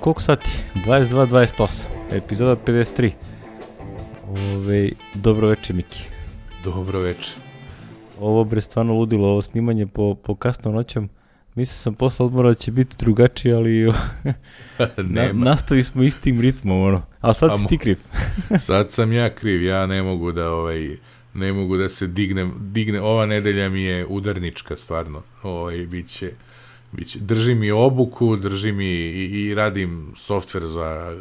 Koliko sati? 22:28, epizoda 53. Dobro večer, Miki. Dobro večer. Ovo bre stvarno ludilo, ovo snimanje po kasnom noćom. Mislio sam posle odmora da će biti drugačije, ali nastavi smo istim ritmom, ono. Ali sad si ti kriv. Sad sam ja kriv, ja ne mogu da se digne. Ova nedelja mi je udarnička, stvarno. Biće, držim mi obuku, držim i radim softver za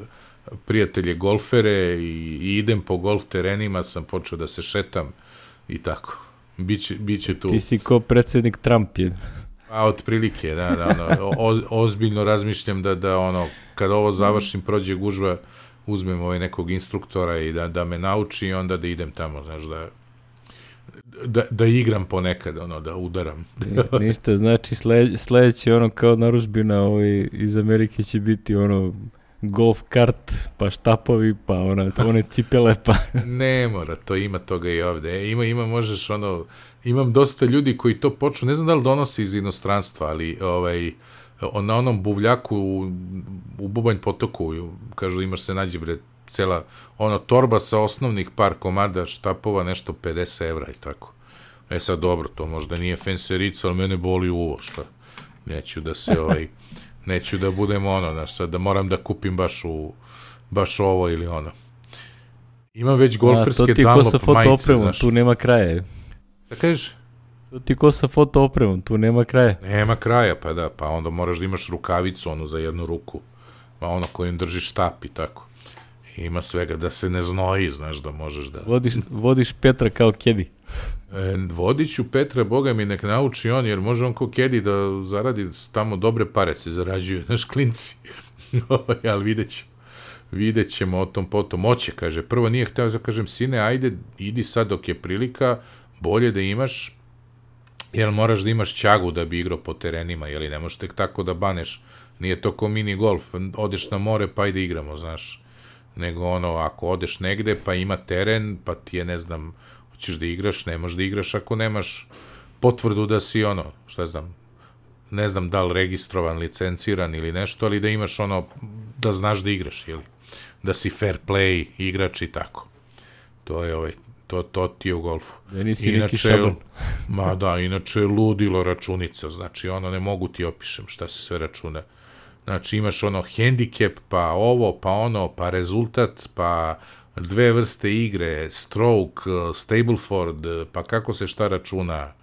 prijatelje golfere i idem po golf terenima, sam počeo da se šetam i tako. Biće tu. Ti si ko predsjednik Trump je. A otprilike, da, ozbiljno razmišljam da ono, kad ovo završim, prođe gužva, uzmem nekog instruktora i da me nauči i onda da idem tamo, znaš, da igram ponekad, da udaram. Ništa, znači sledeće kao narudžbina iz Amerike će biti golf kart, pa štapovi, pa one cipele, pa... Ne mora, to ima toga i ovde. Možeš imam dosta ljudi koji to počnu, ne znam da li donose iz inostranstva, ali na onom buvljaku u Bubanj potoku, kažu imaš se nađe cela, torba sa osnovnih par komada štapova, nešto 50 evra i tako. Sad dobro, to možda nije fenserica, ali mene boli uvo, šta? Neću da budem sad da moram da kupim baš ovo ili ono. Imam već golferske Dunlop majice, znaš. Tu nema kraja. Da kažeš? To ti ko sa foto opremom, tu nema kraja. Nema kraja, pa da, pa onda moraš da imaš rukavicu, za jednu ruku, pa kojim držiš štap i tako. Ima svega, da se ne znoji, znaš, da možeš da... Vodiš Petra kao kedi. Vodit ću Petra, Boga mi nek nauči on, jer može on kao kedi da zaradi, tamo dobre pare se zarađuju, znaš, klinci. Ali vidjet ćemo o tom potom. Oće, kaže, prvo nije hteo da kažem, sine, ajde, idi sad dok je prilika, bolje da imaš, jer moraš da imaš ćagu da bi igrao po terenima, jeli, ne možeš tek tako da baneš, nije to ko mini golf, odeš na more pa ajde igramo, znaš, nego ako odeš negde pa ima teren, pa ti je, ne znam, hoćeš da igraš, ne možeš da igraš ako nemaš potvrdu da si šta znam, ne znam da li registrovan, licenciran ili nešto, ali da imaš da znaš da igraš, jeli, da si fair play igrač i tako. To je to ti je u golfu. Da nisi neki šaban. Ma da, inače je ludilo računica, znači ne mogu ti opišem šta se sve računa. Znači imaš hendikep, pa ovo, pa pa rezultat, pa dve vrste igre, stroke, Stableford, pa kako se šta računa,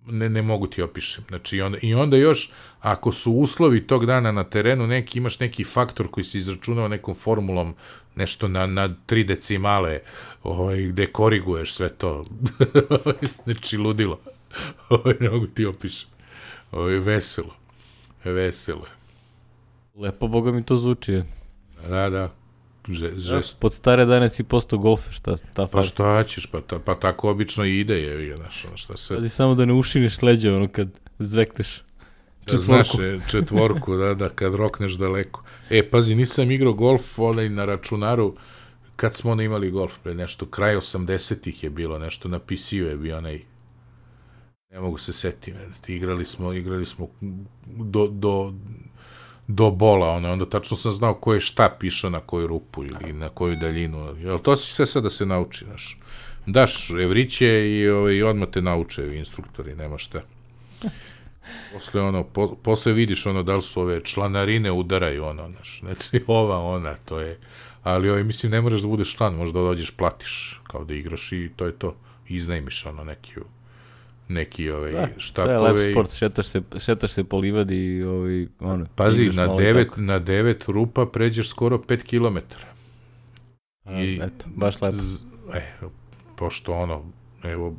ne mogu ti opišem. Znači onda još, ako su uslovi tog dana na terenu neki, imaš neki faktor koji se izračunao nekom formulom, nešto na 3 decimale, gde koriguješ sve to. Znači ludilo. Ne mogu ti opišem. Veselo. Lepo, Boga mi to zvuči. Da. Pod stare dane si postao golfer, šta ta faza? Pa šta ćeš, pa tako obično i ide, je, znaš, šta se... Pazi samo da ne ušiniš leđa, kad zvekneš četvorku, da, kad rokneš daleko. Pazi, nisam igrao golf, na računaru, kad smo imali golf, nešto, kraj 80-ih je bilo, nešto na PC-u je bio ne mogu se setiti, igrali smo do bola, onda tačno sam znao ko je štap išao na koju rupu ili na koju daljinu, to si sve sad da se nauči, znaš. Daš evriće i odmah te nauče instruktori, nema šta. Posle vidiš da li su ove članarine udaraju, znaš, znači ona, to je, ali mislim ne moraš da budeš član, možda dođeš, platiš, kao da igraš i to je to, iznajmiš neki štapove. To je lep sport, šetaš se po livadi i pazi, na 9 rupa pređeš skoro 5 kilometara. Eto, baš lepo. Pošto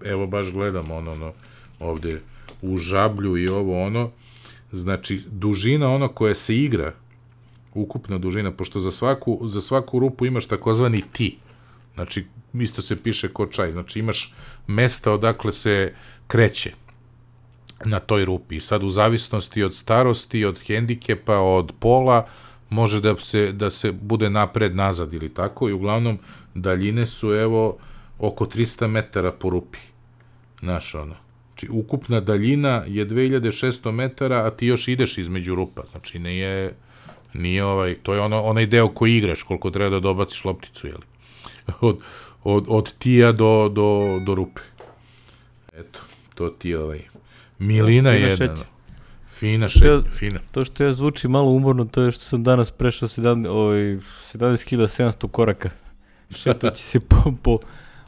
evo baš gledam ovde u žablju i znači dužina koja se igra, ukupna dužina, pošto za svaku rupu imaš takozvani tee, znači isto se piše ko čaj, znači imaš mesta odakle se kreće na toj rupi i sad u zavisnosti od starosti, od hendikepa, od pola, može da se bude napred, nazad ili tako, i uglavnom daljine su oko 300 metara po rupi, znaš Znači, ukupna daljina je 2600 metara, a ti još ideš između rupa. Znači, Nije to je onaj deo koji igraš, koliko treba da dobaciš lopticu, jeli? Od tija do rupe. Eto, to ti milina je jedna. Fina šetnja, fina. To što ja zvuči malo umorno, to je što sam danas prešao 17.700 koraka. Šetajući se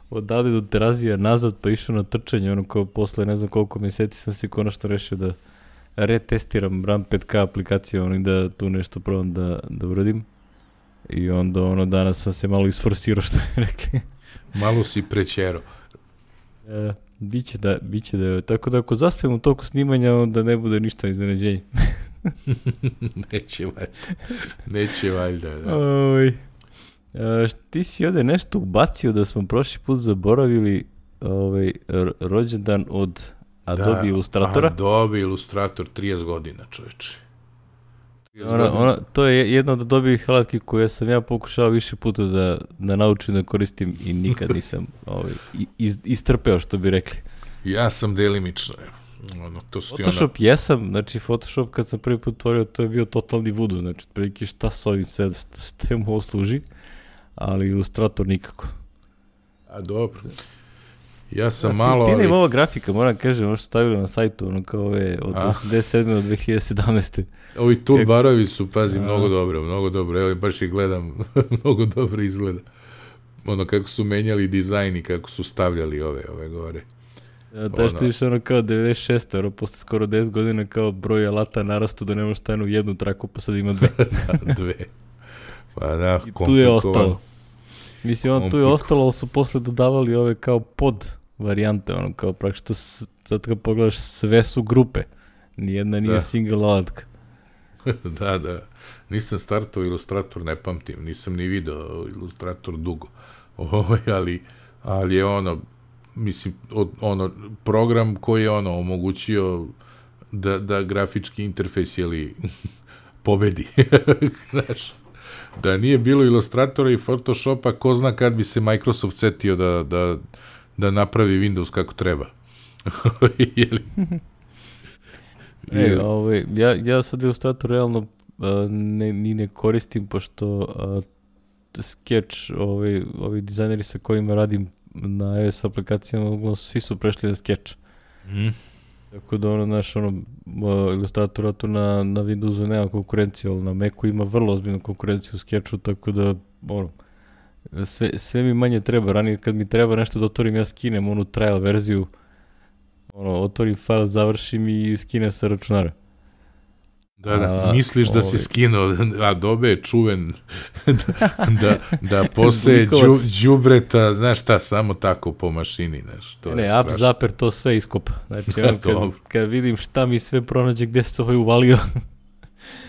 odavde do Terazija nazad, pa išao na trčanje, ono kao posle ne znam koliko mjeseci sam se konačno rešio da retestiram RAM 5K aplikaciju, i da tu nešto probam da uradim. I onda danas sam se malo isforsirao, što je rekli. Malo si prećero. Biće da, tako da ako zaspijem u toku snimanja, onda ne bude ništa iznenađenje. Neće valjda, da. Ti si ovdje nešto ubacio da smo prošli put zaboravili rođendan od Adobe Illustratora. Adobe Illustrator, 30 godina, čoveče. To je jedna od Adobe alatki koje sam ja pokušao više puta da naučim da koristim i nikad nisam istrpeo, što bi rekli. Ja sam delimično. Photoshop jesam, znači Photoshop kad sam prvi put otvorio, to je bio totalni voodoo, znači prilike šta s ovim sad, šta mu ovo služi, ali Illustrator nikako. A dobro. Ja sam malo... Fina ima ova grafika, moram kažem, ono što stavili na sajtu, ono kao ove od 87. do 2017. Ovi toolbarovi su, pazi, mnogo dobro, evo baš ih gledam, mnogo dobro izgleda. Ono kako su menjali dizajn i kako su stavljali ove gore. Da što više ono kao 96. ono posle skoro 10 godina kao broj alata narastu da ne može stajati u jednu traku, pa sad ima dve. Dve. Pa da, i tu je ostalo. Mislim, tu je ostalo, ali su posle dodavali ove kao pod varijante, ono kao praktično, sad kad pogledaš, sve su grupe. Nijedna nije single alatka. Da. Nisam startao Illustrator, ne pamtim, nisam ni video Illustrator dugo. Ali je mislim, program koji je omogućio da grafički interfejs pobedi. Znaš, da nije bilo Illustratora i Photoshopa, ko zna kad bi se Microsoft setio da napravi Windows kako treba. Ja sad Illustrator realno ni ne koristim, pošto Sketch, ovi dizajneri sa kojima radim na iOS aplikacijama, svi su prešli na Sketch. Tako da Illustratora tu na Windowsu nema konkurenciju, ali na Macu ima vrlo ozbiljnu konkurenciju u Sketchu, tako da sve mi manje treba. Ranije kad mi treba nešto da otvorim, ja skinem onu trial verziju, otvorim file, završim i skinem sa računara. Da, misliš da si skinuo, Adobe je čuven da poseje đubreta, znaš šta, samo tako po mašini, znaš. App Zapper to sve iskopa. Znači, kad vidim šta mi sve pronađe, gde se ovaj uvalio,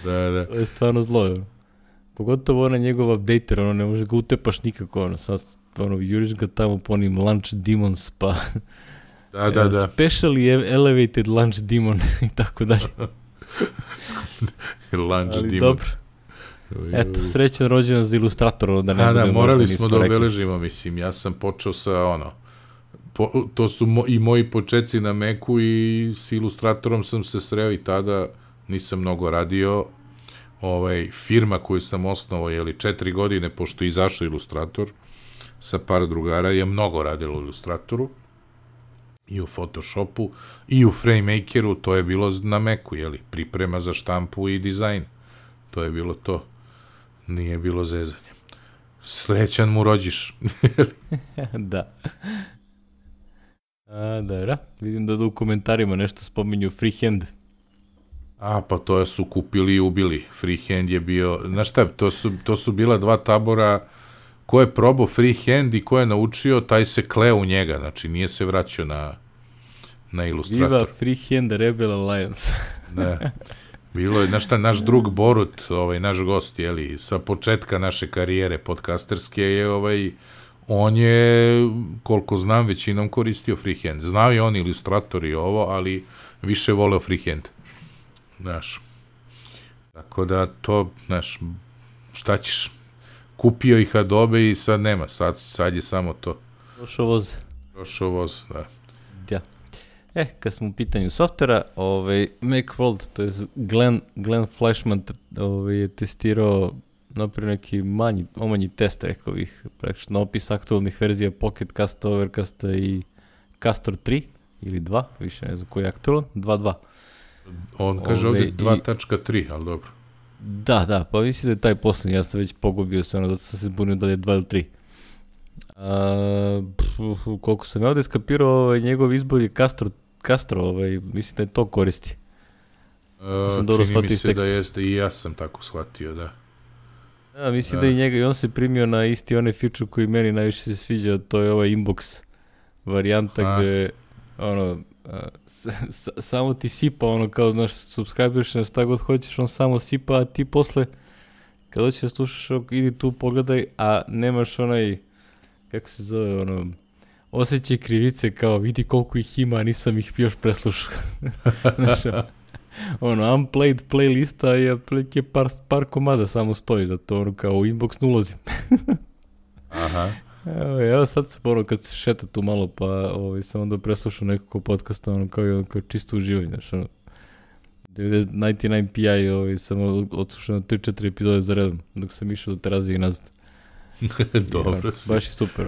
da. To je stvarno zlo. Pogotovo njegov updater, ne možeš ga utepaš nikako, sad juriš ga tamo po onim Launch Demons, pa da. Specially elevated Launch Demon i tako dalje. Launch Demon. Dobro. Eto, srećan rođendan za Illustrator, da ne budemo morali smo da obeležimo, mislim, ja sam počeo sa to su i moji početci na Macu i s Illustratorom sam se sreo i tada nisam mnogo radio. Firma koju sam osnovao, 4 godine, pošto je izašao Illustrator, sa par drugara, je mnogo radilo u Illustratoru, i u Photoshopu, i u FrameMakeru, to je bilo na Macu, priprema za štampu i dizajn. To je bilo to. Nije bilo zezanje. Srećan mu rođiš. Da. Da, vidim da u komentarima nešto spominju freehand. Pa to su kupili i ubili. Freehand je bio, znaš šta, to su bila dva tabora. Ko je probao freehand i ko je naučio, taj se kleo u njega, znači nije se vraćao na Illustrator. Viva Freehand Rebel Alliance. Da. Bilo je, znaš šta, naš drug Borut, naš gost, sa početka naše karijere podcasterske on je, koliko znam, većinom koristio freehand. Znao je on Illustrator i ovo, ali više voleo freehand. Znaš. Tako da to, znaš, šta ćeš? Kupio ih Adobe i sad nema, sad je samo to. Došao voz, da. Da. Kad smo u pitanju softvera, Macworld, to je Glenn Flashman je testirao napravio neki omanji test, rekao bih, praktično opis aktualnih verzija Pocket Casta, Overcasta i Castor 3 ili 2, više ne znam koji je aktualan, 2.2. On kaže ovdje 2.3, ali dobro. Da, pa mislim da je taj poslednji, ja sam već pogubio se, zato sam se bunio da je 2 ili 3. Koliko sam ja ovdje skapirao, njegov izbor je Castro, mislim da je to koristi. Čini mi se da jeste, i ja sam tako shvatio, da. Da, mislim da i njega, i on se primio na isti onaj feature koji meni najviše se sviđa, to je ovaj inbox varijanta gde, samo ti sipa, kao, znaš, subscribeš na šta god hoćeš, on samo sipa, a ti posle, kad hoćeš da slušaš, idi tu, pogledaj, a nemaš onaj, kako se zove, osjećaj krivice, kao, vidi koliko ih ima, a nisam ih još preslušao. Znaš, unplayed playlista je par komada samo stoji, zato kao u inbox ne ulazim. Aha. Evo sad sam kad se šeta tu malo, pa sam onda preslušao nekako podcasta, kao čisto uživanje, znaš, 99 PI sam odslušao na 3-4 epizode za redom, dok sam išao do terazije i nazad. Dobro. Baš je super,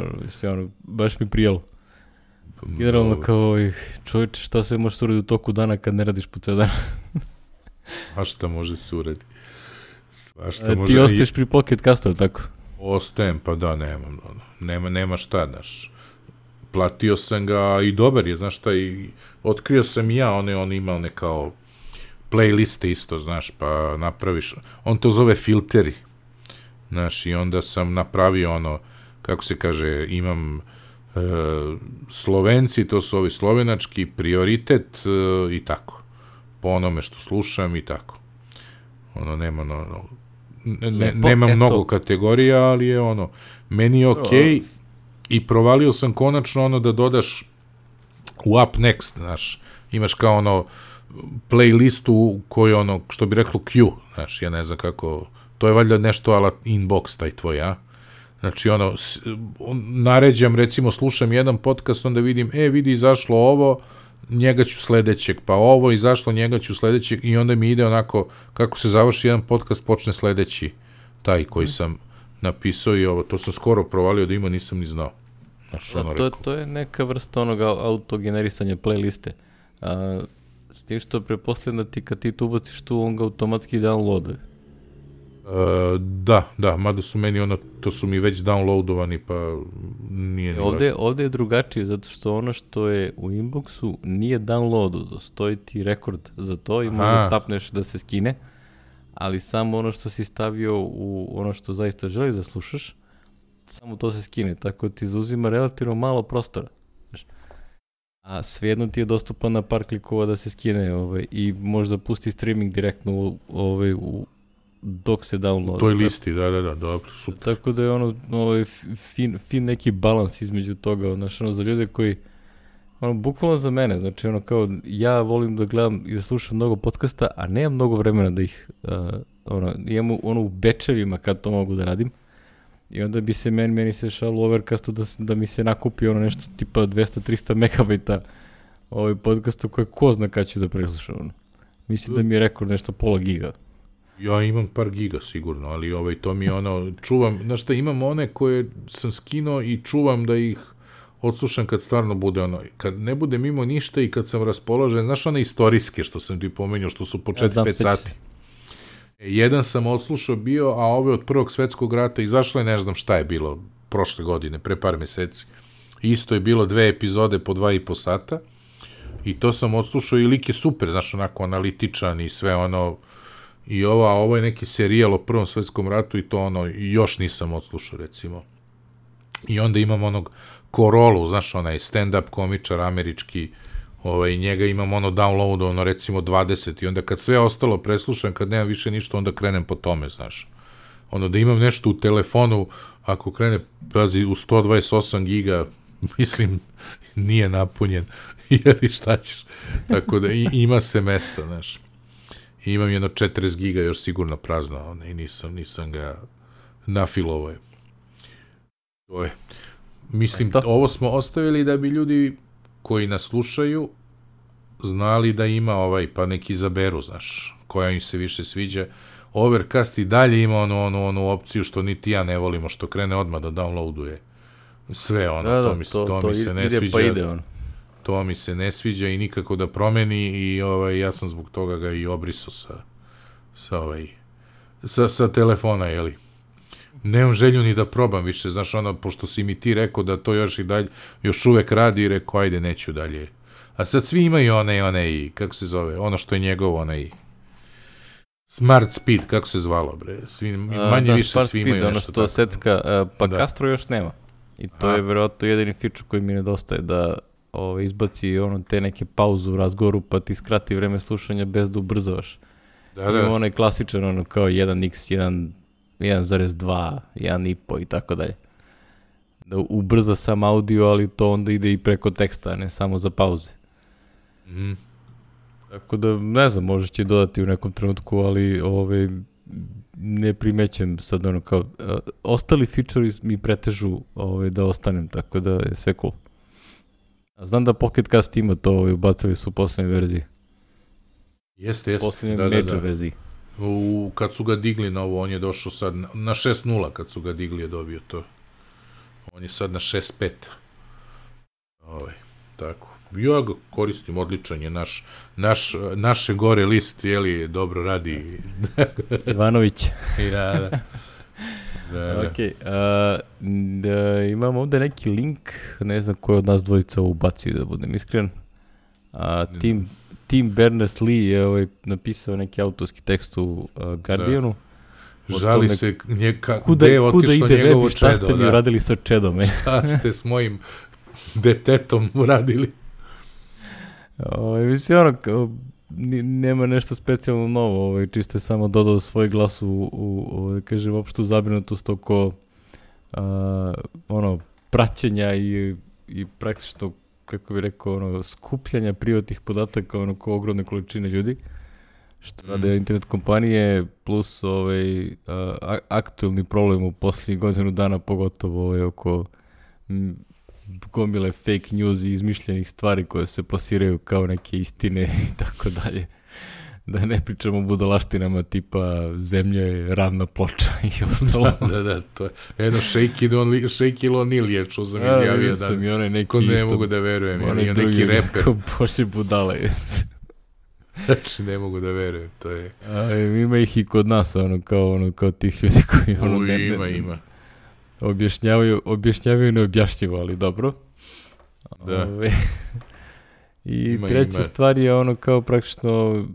baš mi prijelo. Generalno kao, čovječe, šta se može suradi u toku dana kad ne radiš po ceo dan? A šta može suradi? Ti ostaješ pri Pocket Castu, tako? Ostajem, pa da, nema šta, znaš. Platio sam ga i dobar je, znaš šta, i otkrio sam i ja, on ima one kao playliste isto, znaš, pa napraviš, on to zove filteri, znaš, i onda sam napravio kako se kaže, imam Slovenci, to su ovi slovenački, prioritet i tako, po onome što slušam i tako. Nema mnogo kategorija, ali je meni je okej i provalio sam konačno da dodaš u Up Next, znaš, imaš kao playlistu koju što bi reklo Q, znaš, ja ne znam kako, to je valjda nešto ala inbox taj tvoj, a? Znači, naređam, recimo, slušam jedan podcast, onda vidim, vidi, izašlo ovo, njega ću sledećeg, pa ovo, izašlo, njega ću sledećeg, i onda mi ide onako, kako se završi jedan podcast, počne sledeći, taj koji sam napisao i ovo, to sam skoro provalio da ima, nisam ni znao. Znaš, to je neka vrsta onoga autogenerisanja playliste. S tim što prepostavljam da kad ti tu ubaciš tu, on ga automatski downloaduje. Da, mada su meni to su mi već downloadovani, pa nije ni važno. Ovdje je drugačije, zato što ono što je u inboxu nije downloadu, stoji ti rekord za to i možda tapneš da se skine, ali samo ono što si stavio u ono što zaista želiš da slušaš, samo to se skine, tako ti zauzima relativno malo prostora. A svejedno ti je dostupan na par klikova da se skine i možda pusti streaming direktno dok se download. U toj listi, da, dobro, super. Tako da je fin neki balans između toga, znaš, za ljude koji, bukvalno za mene, znači, kao, ja volim da gledam i da slušam mnogo podcasta, a nemam mnogo vremena da ih, imam u bečevima kad to mogu da radim, i onda bi se meni se šalo u Overcastu da mi se nakupi nešto tipa 200-300 megabajta podcastu koje ko zna kad ću da preslušam. Mislim da mi je rekord nešto pola giga. Ja imam par giga sigurno, ali to mi je čuvam, znaš šta, imam one koje sam skinuo i čuvam da ih odslušam kad stvarno bude kad ne bude mimo ništa i kad sam raspoložen, znaš one istorijske što sam ti pomenuo, što su po 4-5 sati. Jedan sam odslušao bio, a ove od Prvog svetskog rata izašlo je, ne znam šta je bilo, prošle godine, pre par meseci. Isto je bilo 2 epizode po 2,5 sata i to sam odslušao i lik je super, znaš, onako analitičan i sve i ovo je neki serijal o Prvom svetskom ratu i to još nisam odslušao, recimo. I onda imam Korolu, znaš, onaj stand-up komičar američki, njega imam downloadovano, recimo 20, i onda kad sve ostalo preslušam, kad nemam više ništa, onda krenem po tome, znaš. Da imam nešto u telefonu, ako krene, pazi, u 128 giga, mislim, nije napunjen, jer šta ćeš, tako da ima se mesta, znaš. I imam 40 giga još sigurno prazno, i nisam ga nafilovao. To je. Mislim, ovo smo ostavili da bi ljudi koji nas slušaju znali da ima pa neki izaberu, znaš, koja im se više sviđa. Overcast i dalje ima onu opciju što niti ja ne volimo, što krene odmah da downloaduje sve to mi se ne sviđa. Pa ide on. To mi se ne sviđa i nikako da promeni i ja sam zbog toga ga i obrisao sa telefona, jeli. Nemam želju ni da probam više, znaš, pošto si mi ti rekao da to još i dalje, još uvek radi i rekao, ajde, neću dalje. A sad svi imaju onaj, kako se zove, ono što je njegovo, onaj Smart Speed, kako se zvalo, bre, manje više svi imaju nešto tako. Ono što secka, pa Castro još nema. I to je verovatno jedini feature koji mi nedostaje, da izbaci te neke pauzu u razgovoru, pa ti skrati vreme slušanja bez da ubrzavaš. Ima onaj klasičan, kao 1x, 1.2, 1.5 i tako dalje. Da ubrza sam audio, ali to onda ide i preko teksta, a ne samo za pauze. Tako da, ne znam, možda će dodati u nekom trenutku, ali ne primećem sad kao... ostali feature mi pretežu da ostanem, tako da je sve cool. Znam da Pocket Cast ima to, ubacili su u poslednjoj verziji. Jeste. Poslednjoj major verziji. Kad su ga digli na ovo, on je došao sad na 6.0, kad su ga digli je dobio to. On je sad na 6.5. Tako. Ja ga koristim, odličan je naše gore list, jeli, dobro radi. Ivanović. Da. Ok, imam ovde neki link, ne znam ko je od nas dvojica ubacio, da budem iskren. Tim Berners-Lee je napisao neki autorski tekst u Guardianu. Žali se gde je otišlo njegovo čedo. Šta ste mi uradili sa čedom? Šta ste s mojim detetom uradili? Mislim, nema nešto specijalno novo, čisto je samo dodao svoj glas u kažem, opštu zabrinutost oko praćenja i praktično, kako bih rekao, skupljanja privatnih podataka oko ogromne količine ljudi, što rade internet kompanije, plus aktualni problem u posljednjih godinu dana, pogotovo oko gomile fake news i izmišljenih stvari koje se plasiraju kao neke istine i tako dalje. Da ne pričamo o budalaštinama tipa zemlja je ravna ploča i ostalo. Da, to je jedno Shaquille O'Neal je, čuo sam izjavio da ko ne mogu da verujem, je neki reper. Bože budale. Znači, ne mogu da verujem, to je... Ima ih i kod nas, kao tih ljudi koji... Ima. Objašnjavaju neobjašnjivo, ali dobro. Da. I treća stvar je kao praktično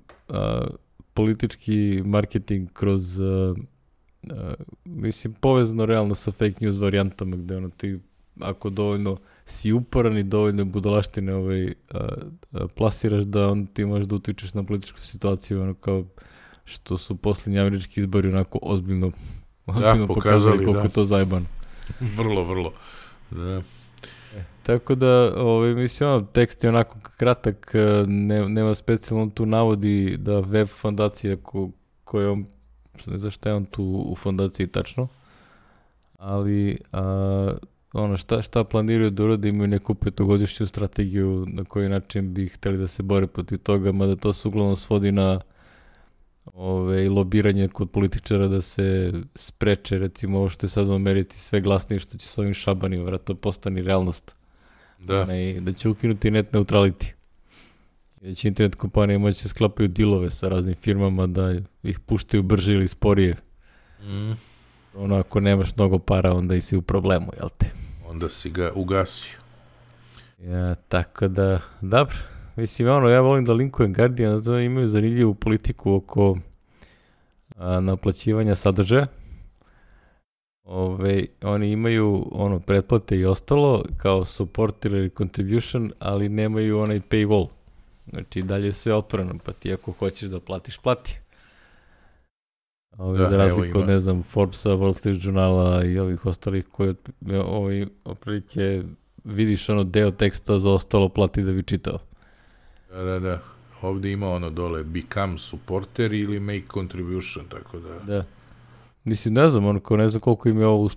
politički marketing kroz mislim povezano realno sa fake news varijantama gde ti ako dovoljno si uporan i dovoljno budalaštine plasiraš da on ti možeš da utičeš na političku situaciju kao što su posljednji američki izbori onako ozbiljno pokazali koliko je to zajebano. Vrlo. Da. Tako da, mislim, tekst je onako kratak, nema specijalno, tu navodi da web fondacija koja on, ne znam šta je on tu u fondaciji tačno, ali šta planiraju da urade, imaju neku 5-godišnju strategiju na koji način bi hteli da se bore protiv toga, mada to se uglavnom svodi na lobiranje kod političara da se spreče, recimo ovo što je sad u Americi sve glasnije što će s ovim šabanima, vratno postani realnost. Da će ukinuti net neutrality. I da će internet kompanije moći sklapaju dilove sa raznim firmama da ih puštaju brže ili sporije. Ako nemaš mnogo para, onda i si u problemu, jel te? Onda si ga ugasio. Tako da, dobro. Mislim, ja volim da linkujem Guardian, da imaju zanimljivu politiku oko naplaćivanja sadržaja. Oni imaju pretplate i ostalo kao support ili contribution, ali nemaju onaj paywall. Znači dalje je sve otvoreno, pa ti ako hoćeš da platiš, plati. Za razliku od, ne znam, Forbesa, Wall Street Journala i ovih ostalih koji oprilike vidiš deo teksta, za ostalo plati da bi čitao. Da. Ovdje ima dole become supporter ili make contribution, tako da... Da. Mislim, ne znam, ne znam koliko im je ovo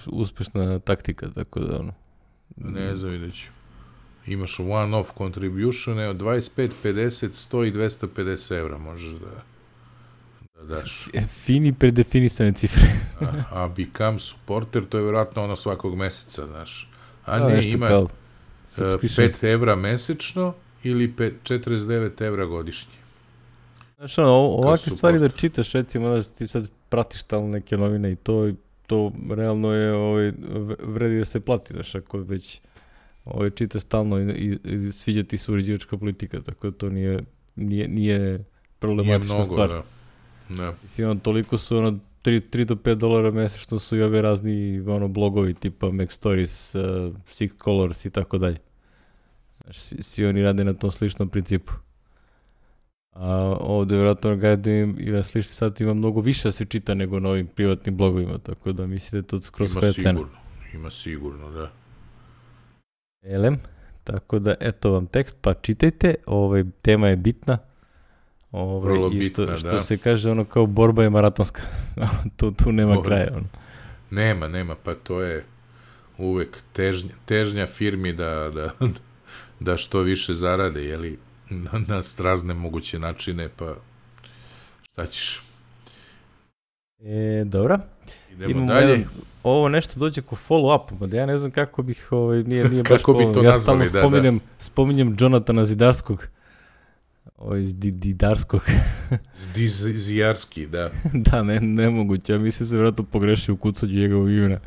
uspešna taktika, tako da Ne znam, vidjet ću. imaš one-off contribution od 25, 50, 100 i 250 evra možeš da daš. Fini predefinisane cifre. a become supporter, to je vjerojatno ono svakog meseca, znaš. A ne, ima 5 evra mesečno ili 49 evra godišnje. Znaš, ovakve stvari da čitaš, recimo, da ti sad pratiš tamo neke novine i to realno je, vredi da se plati, znaš, ako već čitaš stalno i sviđa ti se uređivačka politika, tako da to nije problematična stvar. Da. Mislim, toliko su, $3 do $5 mesečno su i ove razni, blogovi tipa Mac Stories, Six Colors i tako dalje. Znaš, svi oni rade na tom sličnom principu. A ovdje vjerojatno ili na slični sat ima mnogo više da se čita nego na ovim privatnim blogovima, tako da mislim da je to skroz svoja cena. Ima sigurno, da. Tako da, eto vam tekst, pa čitajte, tema je bitna. Vrlo bitna, što se kaže, kao borba je maratonska. tu nema kraja. Nema, pa to je uvek težnja firmi da što više zarade, jeli, na razne moguće načine, pa šta ćeš? Dobra. Idemo dalje. Ovo nešto dođe ko follow-up, da ja ne znam kako bih, nije baš kako bi to nazvali, ja stalno spominjem Jonathana Zidarskog. Iz Didarskog. Zijarski, da. Da, nemoguće, ja mislim se vjerojatno pogrešio u kucanju njegovog imena.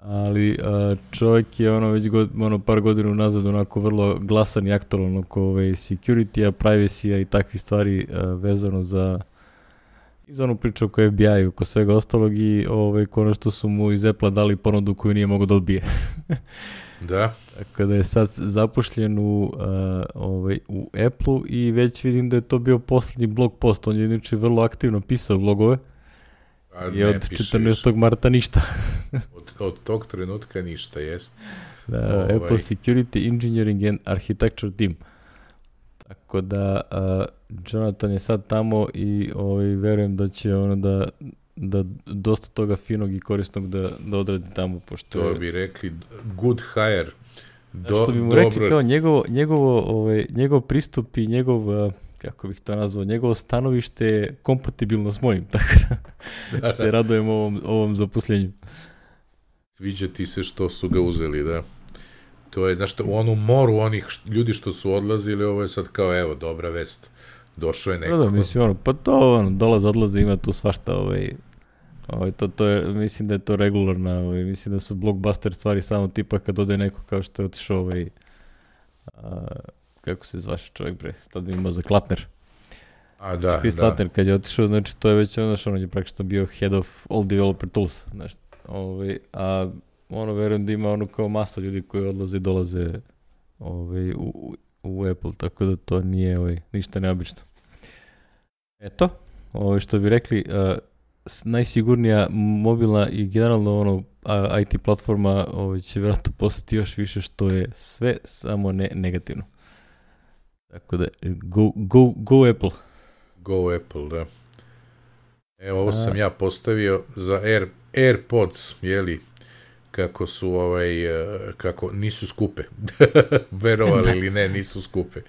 Ali čovjek je već par godina nazad onako vrlo glasan i aktualan oko security-a, privacy-a i takvih stvari vezano za onu priču oko FBI i oko svega ostalog i konačno su mu iz Apple-a dali ponudu koju nije mogao da odbije. Da. Tako da je sad zapošljen u Apple-u i već vidim da je to bio posljednji blog post. On je inače vrlo aktivno pisao blogove i od 14. marta ništa. Od tog trenutka ništa, jest. Da, Apple Security Engineering and Architecture Team. Tako da Jonathan je sad tamo i verujem da će da dosta toga finog i korisnog da odradi tamo, pošto to bi rekli good hire. Što bi mu rekli kao njegov pristup i njegov, kako bih to nazvao, njegovo stanovište je kompatibilno s mojim, tako da se radujem ovom zaposlenju. Sviđa ti se što su ga uzeli, da. To je, znaš, u onu moru onih ljudi što su odlazili, ovo je sad kao, evo, dobra vest. Došao je neko. Da, mislim, pa to, dolaze, odlaze, ima tu svašta, to je, mislim da je to regularna, mislim da su blockbuster stvari samo tipa kad ode neko kao što je otišao kako se zvaše čovjek, bre, tad ima za Klatner. A, da, Chris Klatner, kad je otišao, znači, to je već on je praktično bio head of all developer tools, znači, a verujem da ima kao masa ljudi koji odlaze i dolaze u Apple, tako da to nije ništa neobično. Eto, što bi rekli, najsigurnija mobilna i generalno IT platforma će vjerojatno postati još više, što je sve samo ne negativno. Tako da, go Apple. Go Apple, da. Evo, ovo sam ja postavio za AirPods, jeli, kako su kako nisu skupe. Verovali ili ne, nisu skupe.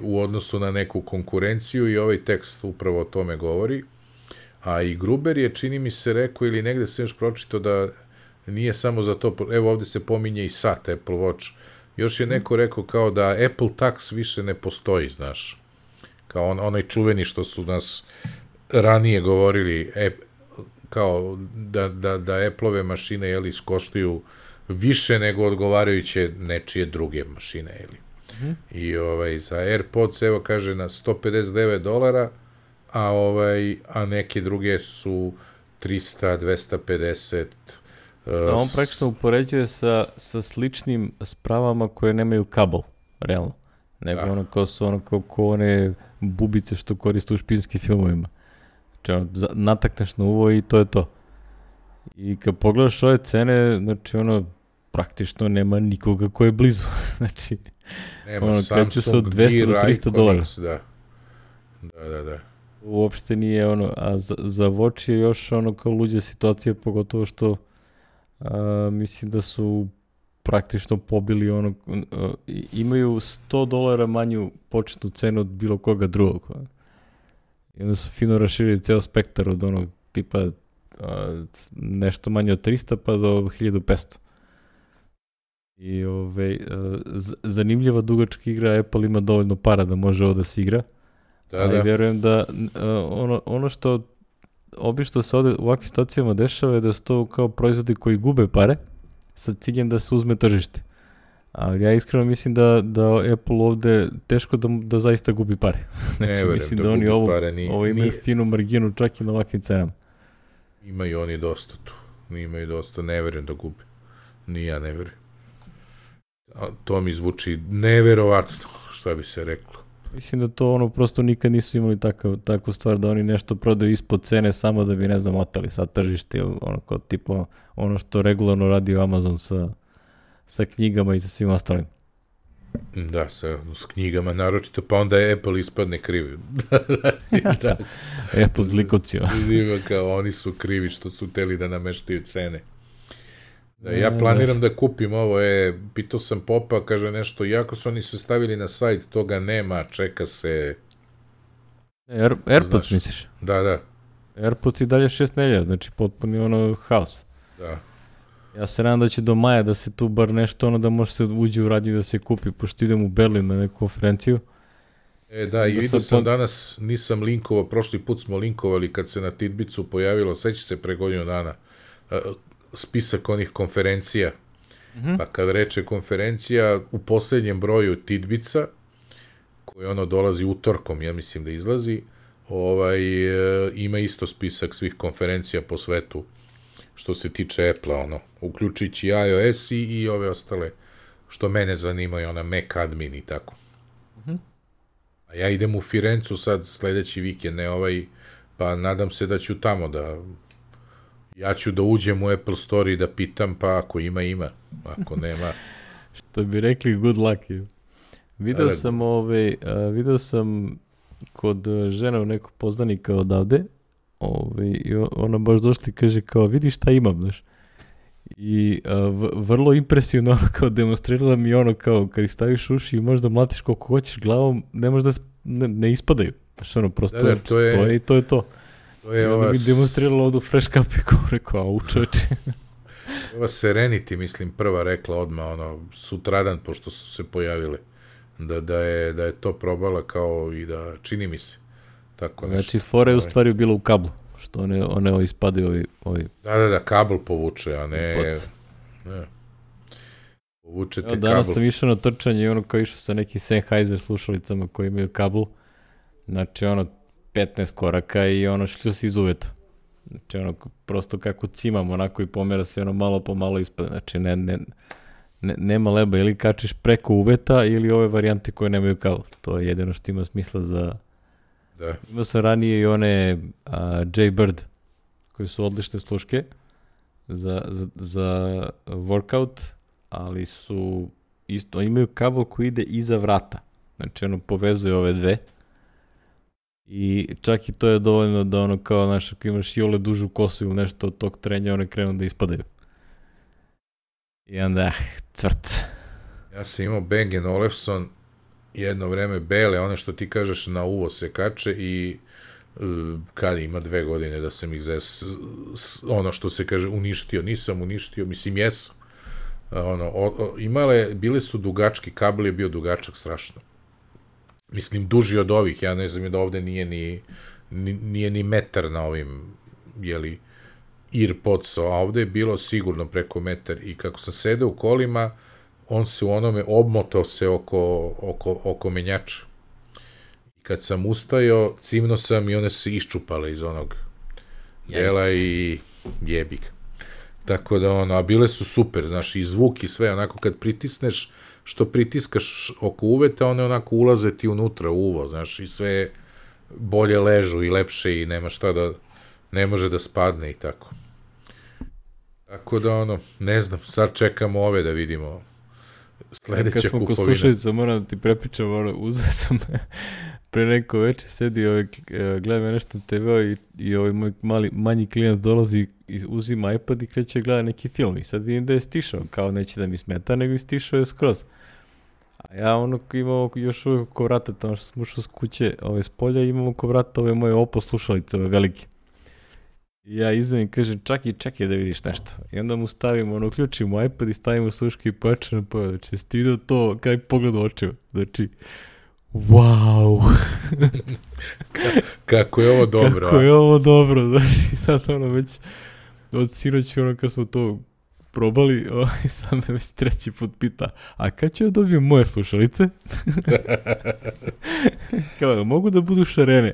U odnosu na neku konkurenciju i ovaj tekst upravo o tome govori. A i Gruber je, čini mi se, rekao ili negde se još pročitao da nije samo za to, evo ovde se pominje i sat Apple Watch. Još je neko rekao kao da Apple Tax više ne postoji, znaš. Kao onaj čuveni što su nas ranije govorili, kao da Apple-ove mašine, jeli, koštuju više nego odgovarajuće nečije druge mašine, jeli. I za AirPods, evo kaže, na $159, a neke druge su 300, 250. On praktično upoređuje sa sličnim spravama koje nemaju kabel, realno. Nego kao su kao one bubice što koriste u špinskim filmovima. Znači, natakneš na uvo i to je to. I kad pogledaš ove cene, znači, praktično nema nikoga ko je blizu. Znači, kreću se od $200 do $300. Da. Uopšte nije a za Watch je još kao luđa situacija, pogotovo što mislim da su praktično pobili ono, imaju $100 manju početnu cenu od bilo koga drugog. I onda su fino raširili ceo spektar od onog tipa nešto manje od 300 pa do 1500. I zanimljiva dugačka igra, Apple ima dovoljno para da može ovo da se igra. Ali vjerujem da ono što obično se ovde u ovakvim situacijama dešava je da su to kao proizvodi koji gube pare sa ciljem da se uzme tržište. Ali ja iskreno mislim da Apple ovde teško da zaista gubi pare. Znači, mislim da oni ovo imaju finu marginu čak i na ovakvim cenama. Imaju oni dosta tu. Imaju dosta, ne verujem da gubi. Ni ja ne verujem. To mi zvuči neverovatno, šta bi se reklo. Mislim da to prosto nikad nisu imali takvu stvar da oni nešto prodaju ispod cene samo da bi, ne znam, otali sad tržište ili kao tipa ono što regularno radi Amazon sa knjigama i sa svim ostalim. Da, s knjigama naročito, pa onda Apple ispadne krivi. Da. Apple zlikovcio. Kao oni su krivi što su hteli da nameštaju cene. Da, ja planiram da kupim ovo, pitao sam Popa, kaže nešto, iako su oni sve stavili na sajt, toga nema, čeka se... AirPods misliš? Da. AirPods i dalje 6 nedelja, znači potpuni haos. Da. Ja se nadam da će do maja da se tu bar nešto da može se uđe u radnju da se kupi, pošto idem u Berlin na neku konferenciju. Da, i vidio sam danas, nisam linkovao, prošli put smo linkovali kad se na Tidbicu pojavilo, seća se pre godinu dana, spisak onih konferencija. Pa kad reče konferencija, u posljednjem broju Tidbica, koji dolazi utorkom, ja mislim da izlazi, ima isto spisak svih konferencija po svetu, što se tiče Apple-a, uključujući iOS i ove ostale, što mene zanimaju, Mac admin i tako. A ja idem u Firencu sad sledeći vikend, pa nadam se da ću tamo ja ću da uđem u Apple Store i da pitam, pa ako ima, ako nema... Što bi rekli, good luck. Video sam kod žena nekog poznanika odavde, i ona baš došla i kaže kao, vidi šta imam, znaš. I vrlo impresivno kao demonstrirala mi kao kad ih staviš uši i možda mlatiš koliko hoćeš glavom, ne možda ne ispadaju. Znaš, prosto stoje i to je to. I onda mi demonstrirala ovdje u Fresh Cup i kao rekao, čoveče. Ova Serenity, mislim, prva rekla odmah, sutradan, pošto su se pojavile, da je to probala kao i da čini mi se. Tako nešto. Znači, fora je u stvari bilo u kablu, što one ispadaju ovi... Da, kabel povuče, a ne... Povučete kabel. Danas sam išao na trčanje i kao išao sa nekim Sennheiser slušalicama koji imaju kabel, znači 15 koraka i šlju se iz uveta. Znači prosto kako cimam onako i pomera se malo po malo ispade. Znači nema leba, ili kačiš preko uveta ili ove varijante koje nemaju kabel. To je jedino što ima smisla za... Da. Imao sam ranije i one Jaybird koji su odlične sluške za workout, ali su isto, imaju kabel koji ide iza vrata. Znači povezuje ove dve. I čak i to je dovoljno da kao, znaš, ako imaš jole dužu kosu ili nešto od tog trenja, one krenu da ispadaju. I onda, cvrt. Ja sam imao Bang & Olufsen jedno vreme bele, one što ti kažeš na uvo se kače i kad ima 2 godine da sam ih ono što se kaže uništio, nisam uništio, mislim jesam. Bile su dugački, kabel je bio dugačak strašno. Mislim, duži od ovih, ja ne znam da ovde nije ni metar na ovim, Earpods, a ovde je bilo sigurno preko metar i kako sam sedeo u kolima, on se u onome obmotao se oko menjača. I kad sam ustajao, cimno sam i one se iščupale iz onog dela i jebik. Tako da a bile su super, znaš, i zvuk i sve, onako kad pritisneš, što pritiskaš oko uveta, one onako ulaze ti unutra u uvo, znaš, i sve bolje ležu i lepše i nema šta ne može da spadne i tako. Tako da ne znam, sad čekamo ove da vidimo. Sledeća Kad smo kod kupovina. slušalica, moram da ti prepričam, uzeo sam pre neko večer, sedi, gledam ja nešto na TV-u i ovaj moj manji klijent dolazi i uzima iPad i kreće gleda neki film i sad vidim da je stišao, kao neće da mi smeta, nego je stišao je skroz. A ja imao još uvijek oko vrata, tamo što sam ušao s kuće, s polja, imam oko vrata ove moje Oppo slušalice, ove velike. I ja izvem i kažem, čekaj da vidiš nešto. I onda mu stavimo, uključimo iPad i stavimo sluške i pojače na pojače. Znači, si ti vidio to, kaj pogled u očima. Znači, wow! Kako je ovo dobro. Kako je ovo dobro. Znači, sad već od sinoći kad smo to probali, sad me već treći put pita, a kad ću ja dobijem moje slušalice? Kao, mogu da budu šarene?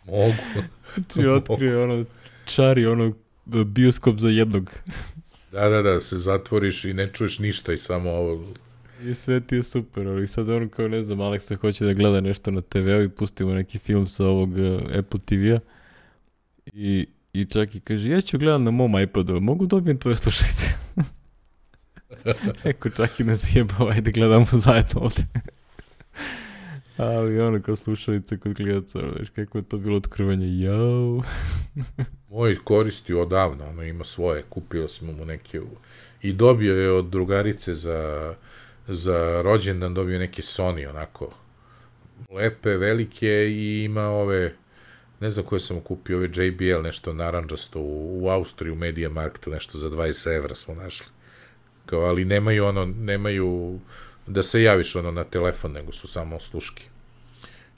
Mogu. Znači, otkrije čari bioskop za jednog. Da, se zatvoriš i ne čuješ ništa i samo ovo. I sve ti je super, ali sad kao ne znam, Aleksa hoće da gleda nešto na TV-u i pustimo neki film sa ovog Apple TV-a i čak i kaže, ja ću gledati na mom iPadu, mogu dobijem tvoje slušalice? Eko čak i ne zjebao, ajde gledamo zajedno ovde. Ali kao slušalice kod klijenca, znaš, kako je to bilo otkrivanje, jao. Moj koristi odavno, ima svoje, kupio smo mu neke i dobio je od drugarice za rođendan, dobio neke Sony, onako, lepe, velike i ima ove, ne znam koje sam mu kupio, ove JBL, nešto naranđasto u Austriji, u Media Marktu, nešto za 20 evra smo našli. Kao, ali nemaju da se javiš na telefon, nego su samo sluški.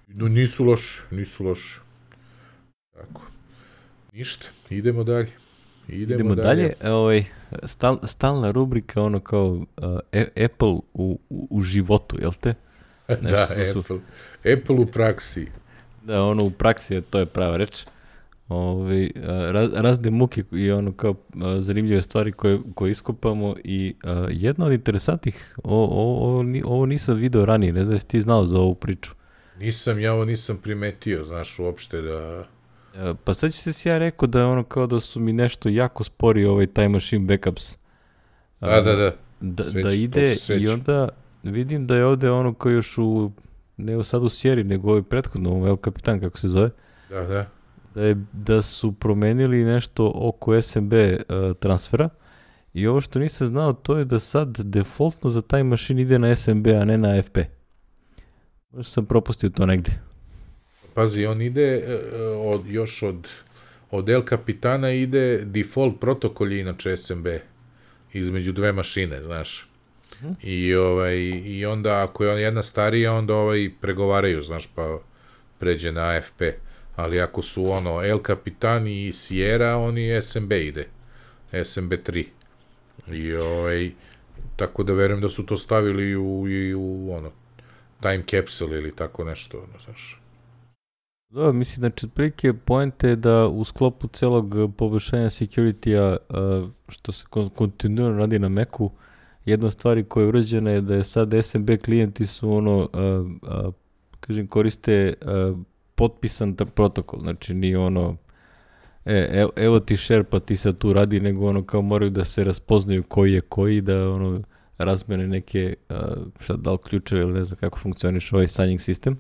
Nisu loši. Tako. Ništa, idemo dalje. Idemo dalje. Stalna rubrika, kao Apple u životu, jel te? Da, Apple u praksi. Da, u praksi, to je prava reč. Razne muke i kao zanimljive stvari koje iskopamo i jedna od interesantnih, ovo nisam video ranije, ne znam jesi ti znao za ovu priču. Ja ovo nisam primetio, znaš, uopšte da... Pa sad će se ja rekao da kao da su mi nešto jako spori Time Machine Backups. Da ide i onda vidim da je ovde kao još ne sad u sjeri, nego prethodno, El Capitan, kako se zove. Da. Da su promenili nešto oko SMB transfera i ovo što nisam znao to je da sad defaultno za Time Machine ide na SMB, a ne na FP. Možda sam propustio to negde. Pazi, on ide od El Capitana ide default protokol je inače SMB između dve mašine, znaš. I onda ako je jedna starija, onda pregovaraju, znaš, pa pređe na AFP. Ali ako su El Capitan i Sierra, oni SMB ide. SMB 3. I tako da verujem da su to stavili u time capsule ili tako nešto, znaš. Da, mislim, znači, otprilike poenta je da u sklopu celog poboljšanja security-a, što se kontinuirano radi na Macu, jedna stvar koja je urađena je da je sad SMB klijenti su koriste potpisan protokol, znači nije evo ti share pa ti sad tu radi, nego kao moraju da se raspoznaju koji je koji, da razmene neke, da li ključeve ili ne znam kako funkcioniš signing sistem,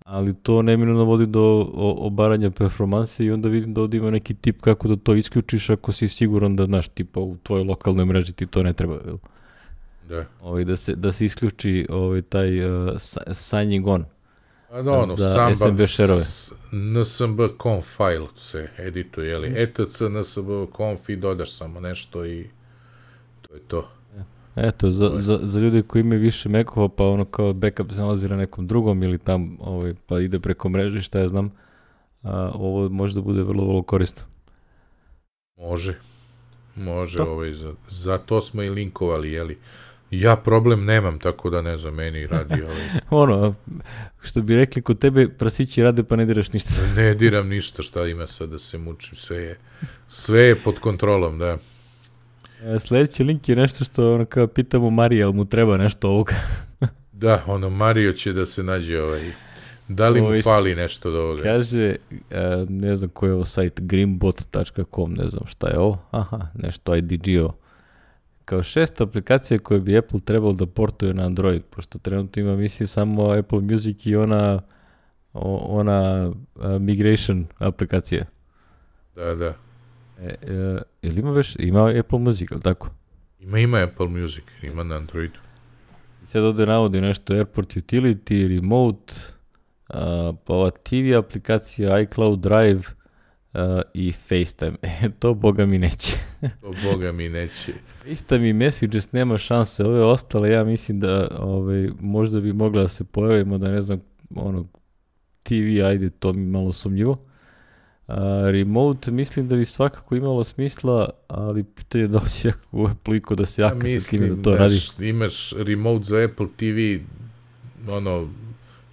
ali to neminovno vodi do obaranja performanse i onda vidim da ovdje ima neki tip kako da to isključiš ako si siguran da, znaš, tipa u tvojoj lokalnoj mreži ti to ne treba, da. Da se isključi taj signing on. Za SMB share-ove. NSB conf file se edituje, jeli? etc NSB conf i dodaš samo nešto i to je to. Eto, za ljude koji imaju više Mac-ova, pa kao backup se nalazi na nekom drugom ili tam, pa ide preko mreže, šta ja znam, ovo može da bude vrlo, vrlo korisno. Može, za to smo i linkovali, jeli? Ja problem nemam, tako da ne znam, meni radi što bi rekli, kod tebe prasići rade pa ne diraš ništa. Ne diram ništa, šta ima sad da se mučim, sve je pod kontrolom, da. Sljedeći link je nešto što kao pitamo Marija, ali mu treba nešto ovoga. Da, Mario će da se nađe da li mu fali nešto od ovoga. Kaže, ne znam koji je ovo sajt, greenbot.com, ne znam šta je ovo, aha, nešto IDG-o. kao 6 aplikacija koje bi Apple trebalo da portuje na Android, pošto trenutno ima, mislim, samo Apple Music i ona migration aplikacija. Da. Ili ima Apple Music, ali tako? Ima Apple Music, ima na Androidu. I sad ovdje navodi nešto Airport Utility, Remote, pa ova TV aplikacija, iCloud Drive i FaceTime. To boga mi neće. FaceTime i Messages nema šanse. Ove ostale, ja mislim da možda bi mogla da se pojavimo, da ne znam, TV, ajde, to mi malo sumnjivo. Remote mislim da bi svakako imalo smisla, ali pitanje da li će u Apple da se jaka sa time da to radi. Imaš remote za Apple TV,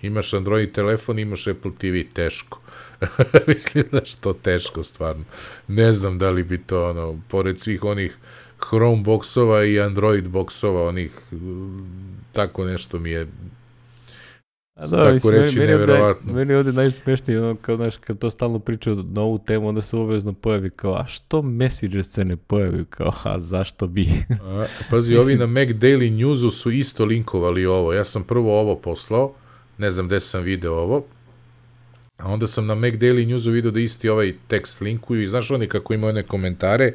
imaš Android telefon, imaš Apple TV, teško. Mislim da što teško, stvarno. Ne znam da li bi to, pored svih onih Chrome boksova i Android boksova, tako nešto mi je tako reći neverovatno. Meni je ovdje najsmešnije, kad to stalno pričaju na ovu temu, onda se obavezno pojavi kao, a što Messages se ne pojavi? Kao, a zašto bi? Pazi, ovi na Mac Daily Newsu su isto linkovali ovo. Ja sam prvo ovo poslao, ne znam gde sam video ovo, a onda sam na Mac Daily Newsu video da isti ovaj tekst linkuju i znaš oni kako imaju one komentare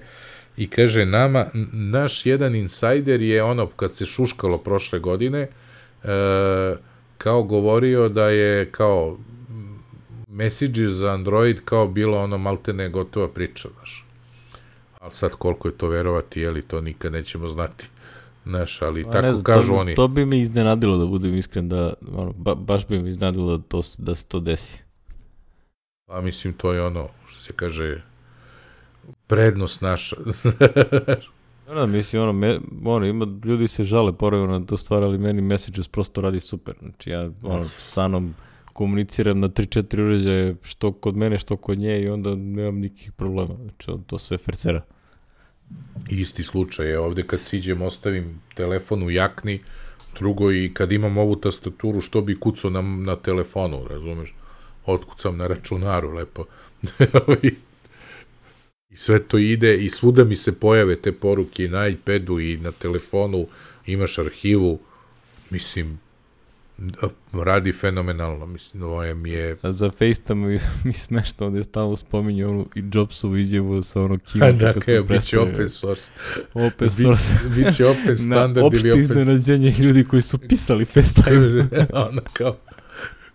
i kaže nama, naš jedan insajder je kad se šuškalo prošle godine, kao govorio da je kao Messages za Android kao bilo maltene gotova priča, znaš. Ali sad koliko je to verovati, to nikad nećemo znati. Znaš, ali tako kažu oni. To bi me iznenadilo, da budem iskren, da baš bi me iznenadilo da se to desi. Pa mislim, to je što se kaže, prednost naša. Mislim, ljudi se žale poravno na to stvar, ali meni Messages prosto radi super. Znači, ja sa Anom komuniciram na 3-4 uređaje, što kod mene, što kod nje, i onda nemam nikakvih problema. Znači, to sve fercera. Isti slučaj je ovde, kad siđem, ostavim telefon u jakni, drugo, i kad imam ovu tastaturu, što bi kucao na telefonu, razumeš? Otkucam na računaru, lepo. I sve to ide i svuda mi se pojave te poruke i na iPadu i na telefonu, imaš arhivu, mislim, radi fenomenalno, mislim, ovo je... A za FaceTime mi smešno, ovdje stalno spominju i Jobsovu izjavu sa keynote. Da, bit će open source. Open source. Biće open standard ili open... Opšte iznenađenje ljudi koji su pisali FaceTime. Kao,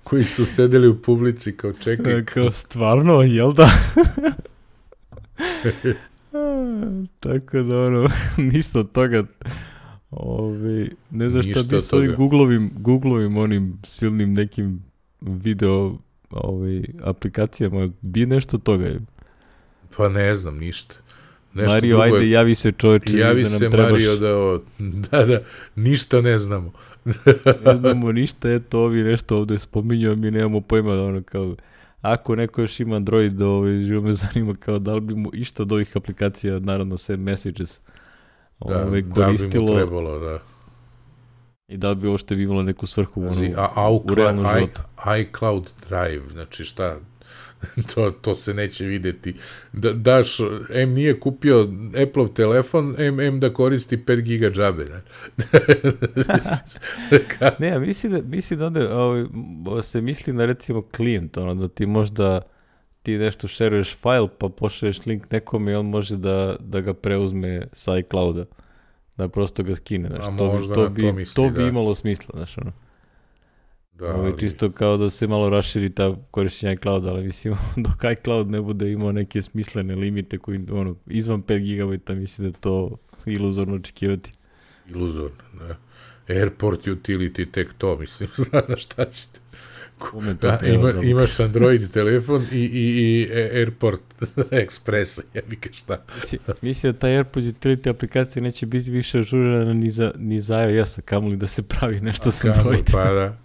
koji su sedeli u publici, kao čekaj. Kao stvarno, jel da? Tako da ništa od toga, ne znam šta bi s ovim Googlovim onim silnim nekim video aplikacijama, bi nešto toga. Pa ne znam, ništa. Nešto Mario, drugo ajde, javi se čovječe. Javi da nam se trebaš. Mario da ništa ne znamo. Ne znamo ništa, eto ovi nešto ovdje spominju, a mi nemamo pojma da kao... Ako neko još ima Android, živo me zanima kao da li bi mu išta od ovih aplikacija, naravno sve Messages, koristilo. Da bi mu trebalo, da. I da li bi ovo što bi imalo neku svrhu u realnom životu. iCloud Drive, znači šta, to se neće videti. Daš, nije kupio Apple telefon, da koristi 5 giga džabe. Ne, mislim da onda se misli na recimo klijent, da ti možda ti nešto šeruješ file pa pošalješ link nekome i on može da ga preuzme sa iClouda, da prosto ga skine. To bi imalo smisla, znaš čisto kao da se malo raširi ta korišćenja iClouda, ali mislim dok iCloud ne bude imao neke smislene limite koji izvan 5 GB, mislim da je to iluzorno očekivati. Iluzorno, da. Airport Utility, tek to, mislim, znaš šta ćete. Imaš Android telefon i Airport Express, jebike šta. Mislim da ta Airport Utility aplikacija neće biti više ažurirana ni za iOS-a, kamoli da se pravi nešto sa Android. Pa da.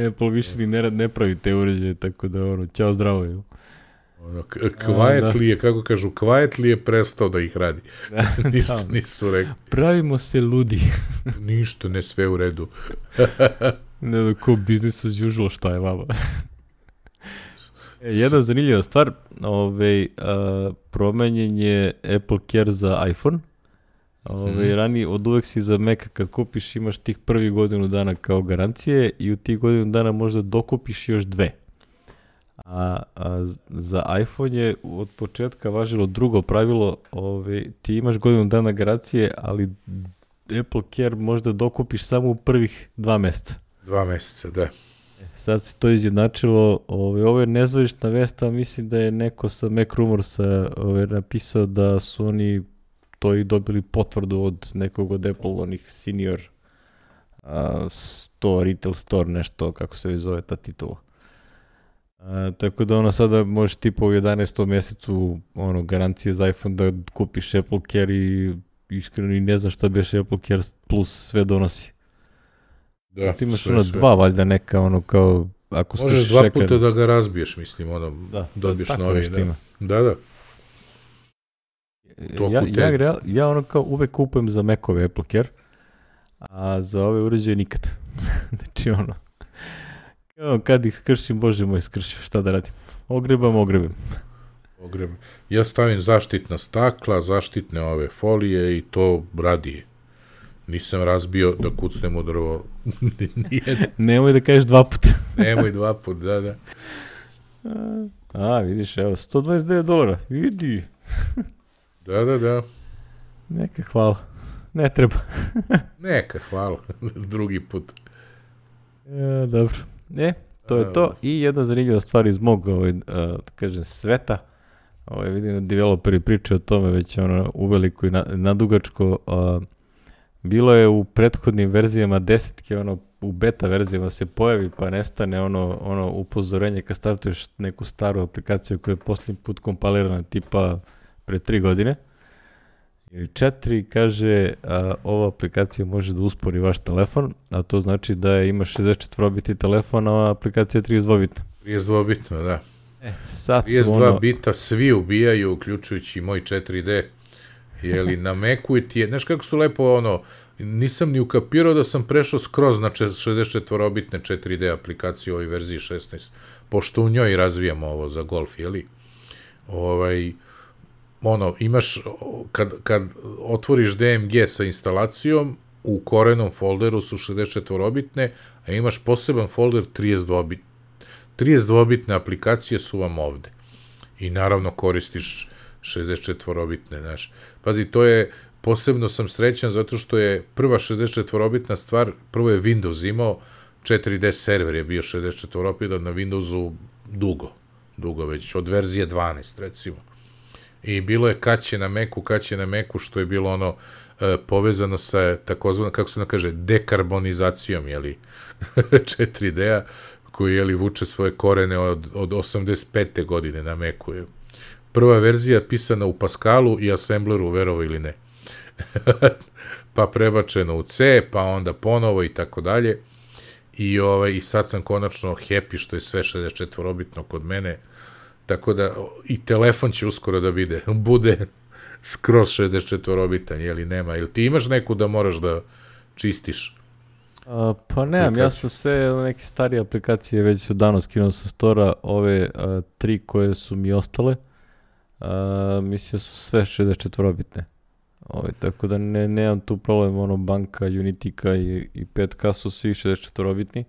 Apple više ni ne pravi te uređaje, tako da ćao zdravo je. Quietly je, kako kažu, Quietly je prestao da ih radi. Nisu rekli. Pravimo se ludi. Ništa, ne sve u redu. Ne, ko business as usual, šta je vama? Jedna zanimljiva stvar, promenjen je Apple Care za iPhone. Ranije, od uvek si za Maca kad kupiš imaš tih prvi godinu dana kao garancije i u tih godinu dana možda dokupiš još 2. A za iPhone je od početka važilo drugo pravilo, ti imaš godinu dana garancije, ali Apple Care možda dokupiš samo u prvih 2 meseca. 2 meseca, da. Sad se to izjednačilo, ovo je nezvanična vest, a mislim da je neko sa Mac Rumorsa napisao da su oni to i dobili potvrdu od nekog od Apple, onih senior store, retail store, nešto, kako se zove ta titula. Tako da sada možeš tipa u 11. mjesecu garancije za iPhone da kupiš Apple Care i iskreno i ne znam šta biš Apple Care Plus sve donosi. Da, ti imaš dva valjda neka kao ako možeš 2 puta da ga razbiješ, mislim, dobiješ novi. Da. Ja kao uvek kupujem za Macove Apple Care, a za ove uređaje nikad. Znači kad ih skršim, bože moj, skršim, šta da radim? Ogrebam. Ja stavim zaštitna stakla, zaštitne ove folije i to radi. Nisam razbio da kucnem u drvo. Nemoj da kažeš 2 puta. Nemoj 2 puta, da. Vidiš, evo, $129. Vidi. Da. Neka hvala. Ne treba. Neka hvala. Drugi put. Dobro. To je to. I jedna zanimljiva stvar iz mog, sveta. Vidim da developeri pričaju o tome već uveliko i nadugačko. Bilo je u prethodnim verzijama 10, u beta verzijama se pojavi pa nestane ono upozorenje kad startuješ neku staru aplikaciju koja je posljednji put kompilirana tipa pre 3 godine ili 4, kaže ova aplikacija može da uspori vaš telefon, a to znači da imaš 64-bitni telefon, a aplikacija je 32-bitna. 32-bitna, da. Sad 32 bita svi ubijaju, uključujući moj 4D. Jeli, na Macu ti je, znaš kako su lepo nisam ni ukapirao da sam prešao skroz na 64-bitne 4D aplikaciju u ovoj verziji 16, pošto u njoj razvijamo ovo za golf, jeli? Imaš, kad otvoriš DMG sa instalacijom, u korenom folderu su 64-bitne, a imaš poseban folder 32-bitne. 32-bitne aplikacije su vam ovde. I naravno koristiš 64-bitne, znaš. Pazi, to je, posebno sam srećan zato što je prva 64-bitna stvar, prvo je Windows imao, 4D server je bio 64-bitan na Windowsu dugo već, od verzije 12, recimo. I bilo je kad će na Macu, što je bilo povezano sa takozvano, kako se kaže, dekarbonizacijom, jeli, 4D-a, koji, jeli, vuče svoje korene od 85. godine na Macu je. Prva verzija pisana u Pascalu i Assembleru, verovo ili ne. Pa prebačeno u C, pa onda ponovo i tako dalje. I sad sam konačno happy što je sve 64-bitno kod mene. Tako da i telefon će uskoro da bude skroz 64-bitan, jeli nema. Ili ti imaš neku da moraš da čistiš? Pa nemam, ja sam sve neke starije aplikacije već odavno skinuo sa stora, ove 3 koje su mi ostale. Mislim su sve 64-bitne. Tako da nemam tu problem, banka, Unitika i 5K su svi 64-bitni.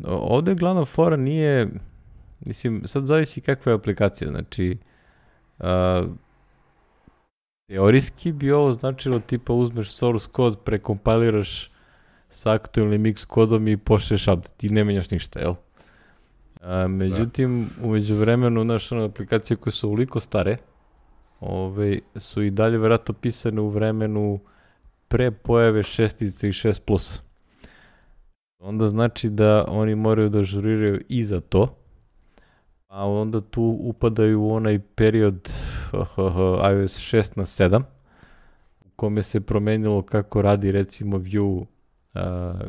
Ovde glavna fora nije, mislim, sad zavisi kakva je aplikacija, znači teorijski bi ovo značilo tipa uzmeš source kod, prekompiliraš sa aktualnim X kodom i pošleš update i ne menjaš ništa, jel? Međutim, umeđu vremenu, naše aplikacije koje su ovoliko stare, su i dalje vjerojatno pisane u vremenu pre pojave 6 i 6+. Onda znači da oni moraju da ažuriraju i za to, a onda tu upadaju u onaj period iOS 6 na 7, u kome se promenilo kako radi recimo view,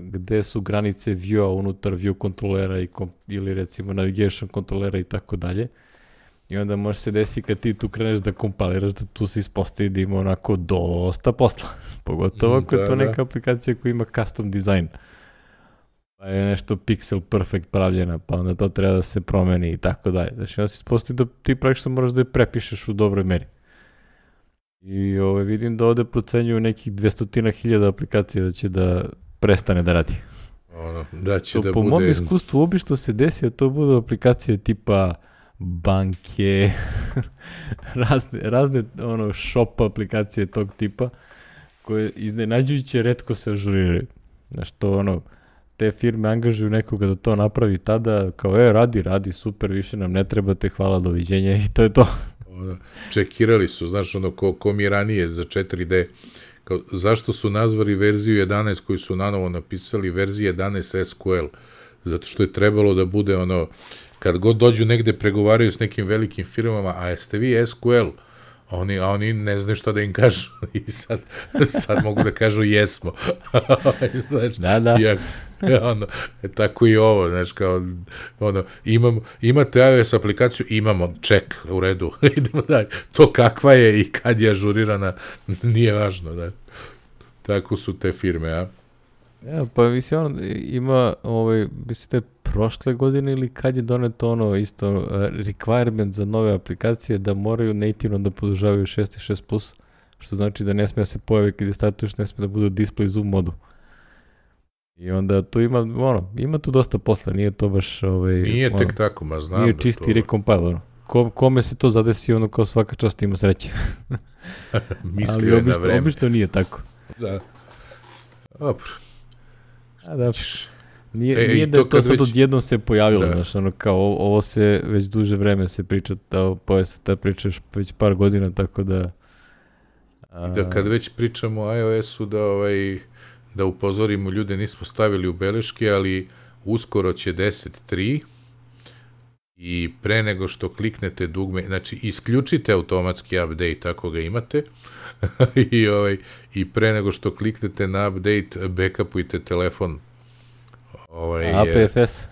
gde su granice view-a unutar view kontrolera ili recimo navigation kontrolera i tako dalje. I onda može se desiti kad ti tu kreneš da kompiliraš, da tu se ispostavi da ima onako dosta posla. Pogotovo ako je to neka aplikacija koja ima custom design. Pa je nešto pixel perfect pravljena, pa onda to treba da se promeni i tako dalje. Znači onda se ispostavi da ti praktično moraš da je prepišeš u dobroj meri. I vidim da ovde procenjuju nekih 200.000 aplikacija da će da prestane da radi. Da će to, da po bude... mom iskustvu obično se desi da to budu aplikacije tipa banke, razne shop aplikacije tog tipa, koje iznenađujuće retko se ažuriraju. Znaš, to te firme angažuju nekoga da to napravi tada, kao radi, super, više nam ne trebate, hvala, doviđenja i to je to. Čekirali su, znaš, ko mi ranije za 4D, kao, zašto su nazvali verziju 11 koju su nanovo napisali verzija 11 SQL? Zato što je trebalo da bude kad god dođu negde pregovaraju s nekim velikim firmama, a jeste vi SQL? A oni ne znaju šta da im kažu i sad mogu da kažu jesmo. Znači, da. Tako i ovo, znaš, kao, imate iOS aplikaciju, imamo, ček, u redu, idemo dalje. To kakva je i kad je ažurirana, nije važno, da. Tako su te firme, a? Ja, pa mislim, ima, mislim da je prošle godine ili kad je doneto isto requirement za nove aplikacije da moraju nativno da podržavaju 6 i 6+, što znači da ne smije da se pojavi kada startuješ, ne smije da bude display zoom modu. I onda tu ima tu dosta posla, nije to baš nije tek tako, ma znam. Nije čisti recompile, kome se to zadesi, kao svaka čast ima sreće. Mislio je na vreme. Ali obično nije tako. Da. Dobro. Da, nije da je to sad odjednom se pojavilo, znaš, kao ovo se već duže vreme se priča, ta priča već par godina, tako da... Da kad već pričamo o iOS-u, da upozorimo ljude, nismo stavili u beleške, ali uskoro će 10.3 i pre nego što kliknete dugme, znači isključite automatski update ako ga imate i pre nego što kliknete na update, backupujte telefon. APFS.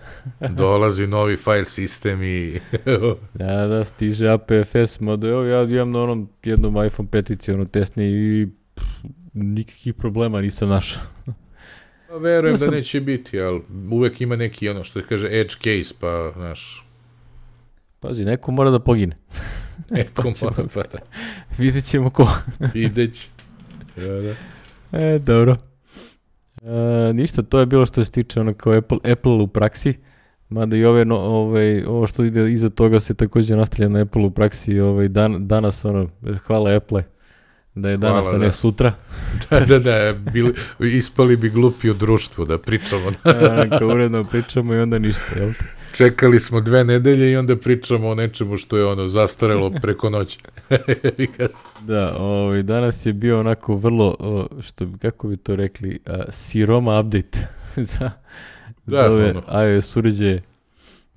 Dolazi novi file sistem i... Da, stiže APFS model, ja imam na jednom iPhone 5 testni i nikakvih problema nisam našao. Verujem da neće biti, ali uvek ima neki što kaže edge case, pa znaš... Pazi, neko mora da pogine. Vidjet ćemo ko. Vidjet će. Da. Dobro. Ništa, to je bilo što se tiče kao Apple u praksi, mada i ovo što ide iza toga se također nastavlja na Apple u praksi, danas hvala Apple da je danas, a ne sutra. Da, ispali bi glupi u društvu da pričamo. Kao uredno pričamo i onda ništa, jel te? Čekali smo 2 nedelje i onda pričamo o nečemu što je zastarelo preko noći. Da, danas je bio onako vrlo, kako bi to rekli, siroma update za ove iOS uređaje.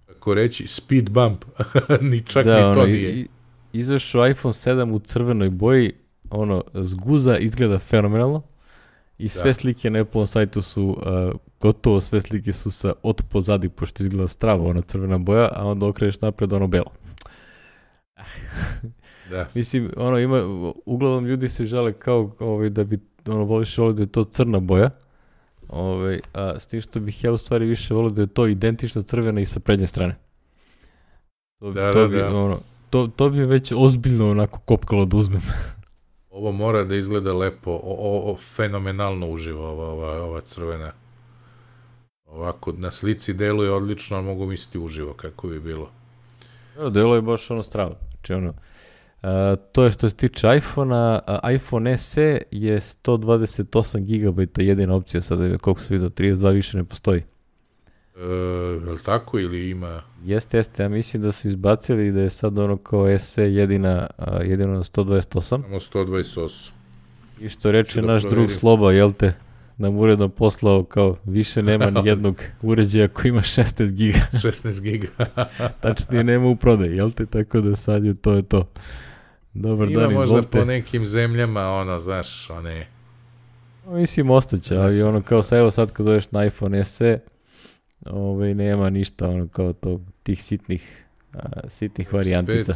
Kako reći, speed bump, ni čak ni to nije. Izašao iPhone 7 u crvenoj boji, zguza, izgleda fenomenalno i sve slike na Apple sajtu su, gotovo sve slike su od pozadi, pošto izgleda strava, ona crvena boja, a onda okreneš napred, belo. Da. Mislim, uglavnom ljudi se žale kao da bi voliš da je to crna boja, a s tim što bih ja u stvari više volio da je to identična crvena i sa prednje strane. To bi već ozbiljno onako kopkalo da uzmem. Ovo mora da izgleda lepo, fenomenalno uživo ova crvena. Ovako, na slici deluje odlično, ali mogu misliti uživo kako bi bilo. Deluje baš strava. Znači to je što se tiče iPhone-a, iPhone SE je 128 GB jedina opcija, sada koliko se vidio, 32 više ne postoji. Je li tako ili ima? Jeste, ja mislim da su izbacili da je sad kao SE jedino na 128. Samo 128. I što reče naš drug Sloba, jel te, nam uredno poslao kao više nema ni jednog uređaja koji ima 16 giga. 16 giga. Tačnije nema u prodaju, jel te, tako da sad je to. Dobar dan, izvolite. Ima možda po nekim zemljama, znaš, Mislim, ostaće, ali kao evo sad kad dođeš na iPhone SE, nema ništa, kao tih sitnih varijantica.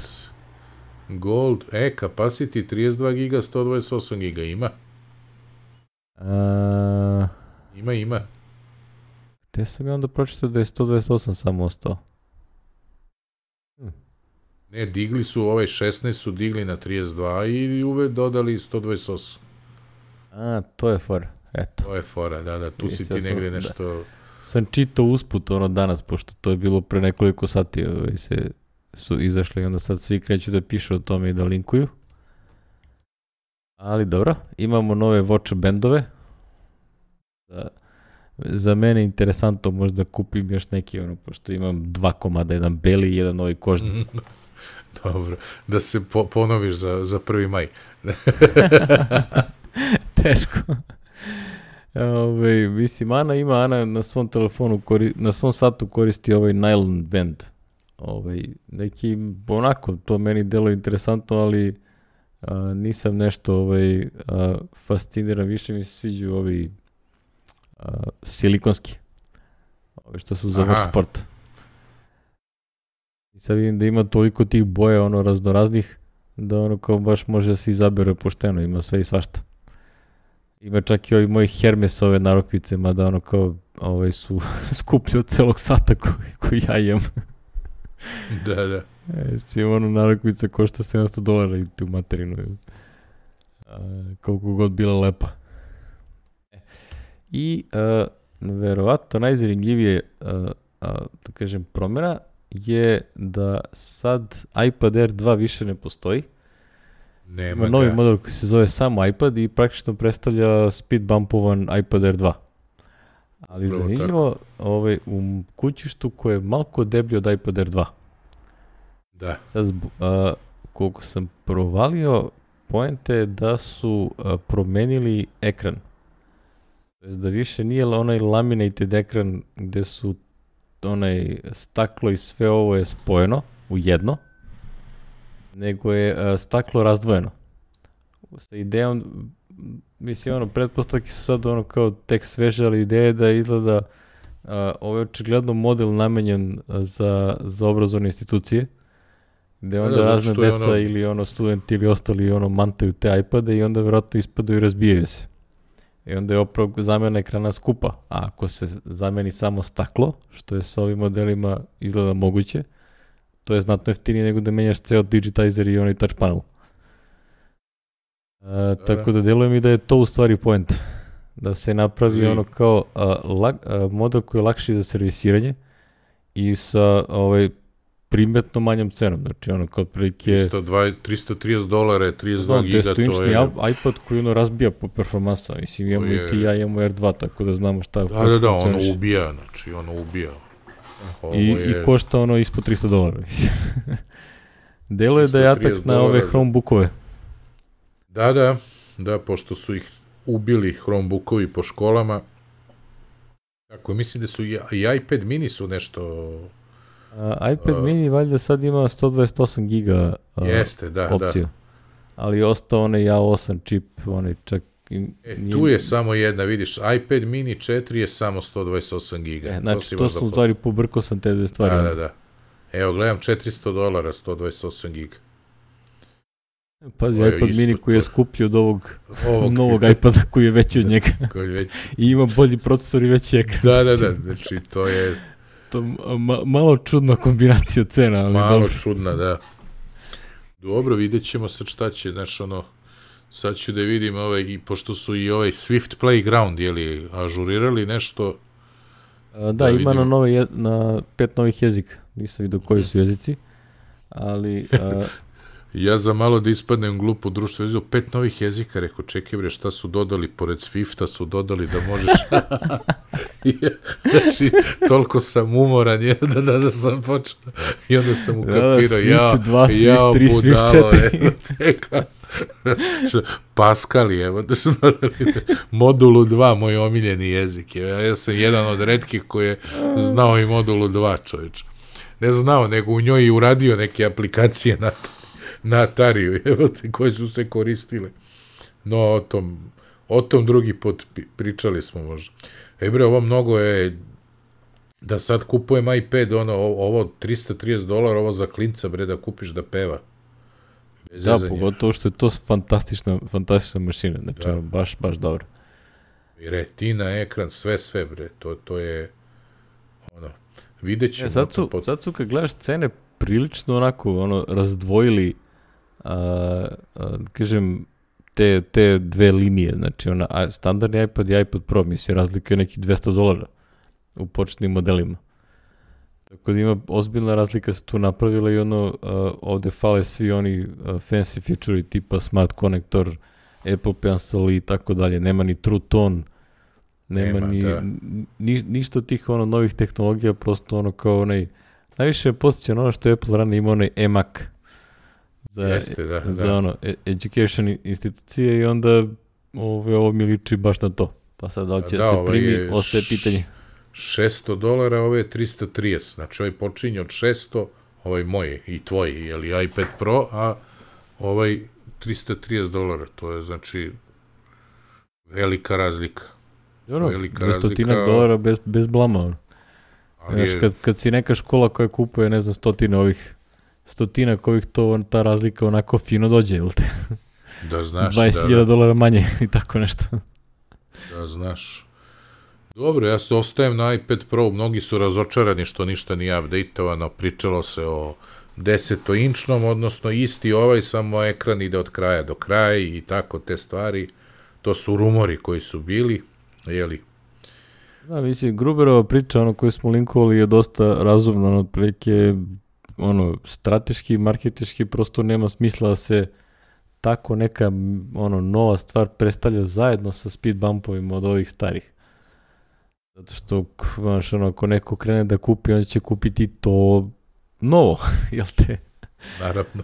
Gold, capacity 32 giga, 128 giga, ima? Ima. Te sam ja onda pročitao da je 128 samo ostao. Ne, digli su, 16 su digli na 32 i dodali 128. A, to je fora, eto. To je fora, da, tu si ti negde nešto... Sam čitao usput danas, pošto to je bilo pre nekoliko sati, su izašli i onda sad svi kreću da pišu o tome i da linkuju. Ali dobro, imamo nove watch bandove. Za mene je interesantno, možda kupim još neki, pošto imam 2 komada, jedan beli i jedan novi kožni. Dobro, da se ponoviš za 1. maj. Teško. Mislim, Ana na svom telefonu, na svom satu koristi ovaj nylon band. Neki, onako, to meni delo interesantno, ali nisam nešto fasciniran, više mi se sviđaju ovi silikonski. Što su za vrh sporta. I sad vidim da ima toliko tih boja, raznoraznih, da kao baš može da se izabere pošteno, ima sve i svašta. Ima čak i ovi moji Hermesove narukvice, mada kao su skuplji od celog sata koji ja imam. Da. Narukvica košta $700 i tu materinu. Koliko god bila lepa. I verovatno najzanimljivije, da kažem, promjena je da sad iPad Air 2 više ne postoji. Ima novi model koji se zove samo iPad i praktično predstavlja speed bumpovan iPad Air 2. Ali zanimljivo, u kućištu koje je malko deblji od iPad Air 2. Da. Sad, koliko sam provalio, poenta je da su promenili ekran. Da više nije onaj laminated ekran gde su onaj staklo i sve ovo je spojeno u jedno, nego je staklo razdvojeno. Sa idejom, mislim, pretpostavke su sad kao tek sveže, ali ideja je da izgleda ovo je očigledno model namenjen za obrazovne institucije, gde onda razne deca ili studenti ili ostali mantaju te iPade i onda vjerojatno ispadaju i razbijaju se. I onda je opravo zamjena ekrana skupa. A ako se zameni samo staklo, što je sa ovim modelima izgleda moguće, to je znatno jeftinije nego da menjaš ceo digitizer i onaj touch panel. Tako da deluje mi da je to u stvari point. Da se napravi kao model koji je lakši za servisiranje i sa primetno manjom cenom. Znači kao prilike... $330, 32 giga, to je... 10-inčni iPad koji razbija po performansa. Mislim, imamo i ti ja, imamo R2, tako da znamo šta... Da, ono ubija. I košta ispod $300. Delo je da je atak na ove Chromebookove. Da, pošto su ih ubili Chromebookovi po školama. Tako, mislim da su i iPad mini su nešto... iPad mini valjda sad ima 128 giga opciju. Da. Ali je ostao onaj A8 čip, onaj čak... Tu je samo jedna, vidiš, iPad mini 4 je samo 128 giga. Znači, to sam u stvari pobrkao sam te dve stvari. Da. Evo, gledam, $400, 128 giga. Pazi, iPad mini koji je skuplji od ovog novog iPada koji je veći od njega. I ima bolji procesor i veći ekran. Da, znači to je... Malo čudna kombinacija cena, ali malo dobro. Čudna, da. Dobro, vidjet ćemo sad šta će, znaš, sad ću da vidim i pošto su i Swift Playground, ažurirali nešto. Da, ima na 5 novih jezika, nisam vidio koji su jezici, ali... Ja za malo da ispadnem glupo društvo, vidio 5 novih jezika, rekao, čekaj bre, šta su dodali, pored Swifta su dodali da možeš... Znači, toliko sam umoran, da sam počeo, i onda sam ukapirao, Swift 2, Swift 3, Swift 4. Pascal, evo, da su dodali modulu 2, moj omiljeni jezik. Ja sam jedan od retkih koji je znao i modulu 2, čovječ. Ne znao, nego u njoj i uradio neke aplikacije na Atariju, koje su se koristile. No, o tom drugi put pričali smo možda. Bre, ovo mnogo je, da sad kupujem iPad, ovo $330, ovo za klinca, bre, da kupiš da peva. Da, pogotovo što je to fantastična mašina, znači, baš dobro. I retina, ekran, sve, bre, to je, vidjet ćemo. Sad su, kad gledaš cene prilično onako ono razdvojili kažem te dve linije, znači standardni iPad i iPad Pro, mislim, razlika je nekih $200 u početnim modelima. Tako da ima ozbiljna razlika se tu napravila i ovde fale svi oni fancy feature tipa Smart Connector, Apple Pencil i tako dalje, nema ni True Tone, nema ništa od tih novih tehnologija, prosto kao najviše je posjećano ono što je Apple rano ima eMac za education institucije i onda ovo mi liči baš na to. Pa sad da će se primi, ostaje pitanje. $600, ovo je 330, znači ovaj počinje od 600, ovaj moj i tvoj, jeli iPad Pro, a ovaj $330, to je znači velika razlika. $200 bez blama. Kad si neka škola koja kupuje, ne znam, stotinak ovih, ta razlika onako fino dođe, ili te? Da znaš. $20,000 manje i tako nešto. Da znaš. Dobro, ja se ostajem na iPad Pro, mnogi su razočarani što ništa nije updateovano, pričalo se o 10-inčnom, odnosno isti samo ekran ide od kraja do kraja i tako te stvari, to su rumori koji su bili, jeli? Da, mislim, Gruberova priča, koju smo linkovali je dosta razumno, otprilike, strateški, marketički, prosto nema smisla da se tako neka, nova stvar predstavlja zajedno sa speed bumpovima od ovih starih. Zato što, ako neko krene da kupi, on će kupiti to novo, jel te? Naravno.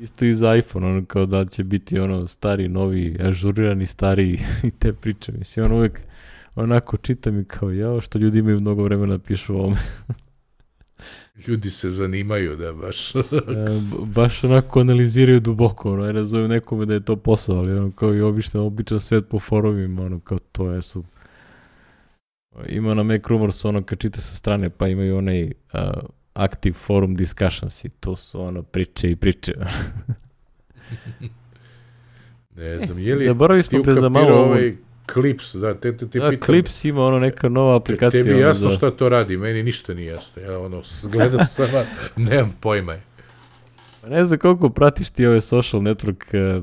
Isto i za iPhone, kao da će biti stari, novi, ažurirani, stari i te priče. Mislim, uvek onako čitam i kao, što ljudi imaju mnogo vremena pišu o ovome. Ljudi se zanimaju, da, baš. Baš onako analiziraju duboko, ja razumijem nekome da je to posao, ali kao i običan svet po forumima, kao to je su. Ima na Mac Rumors kad čita sa strane, pa imaju onaj active forum discussions i to su priče i priče. Ne znam, je li zaboravili smo pre za malo ovaj Clips, da, te pitam. Clips ima neka nova aplikacija. Tebi jasno šta to radi, meni ništa nije jasno. Ja gledam sama, nemam pojma. Ne znam koliko pratiš ti ove social network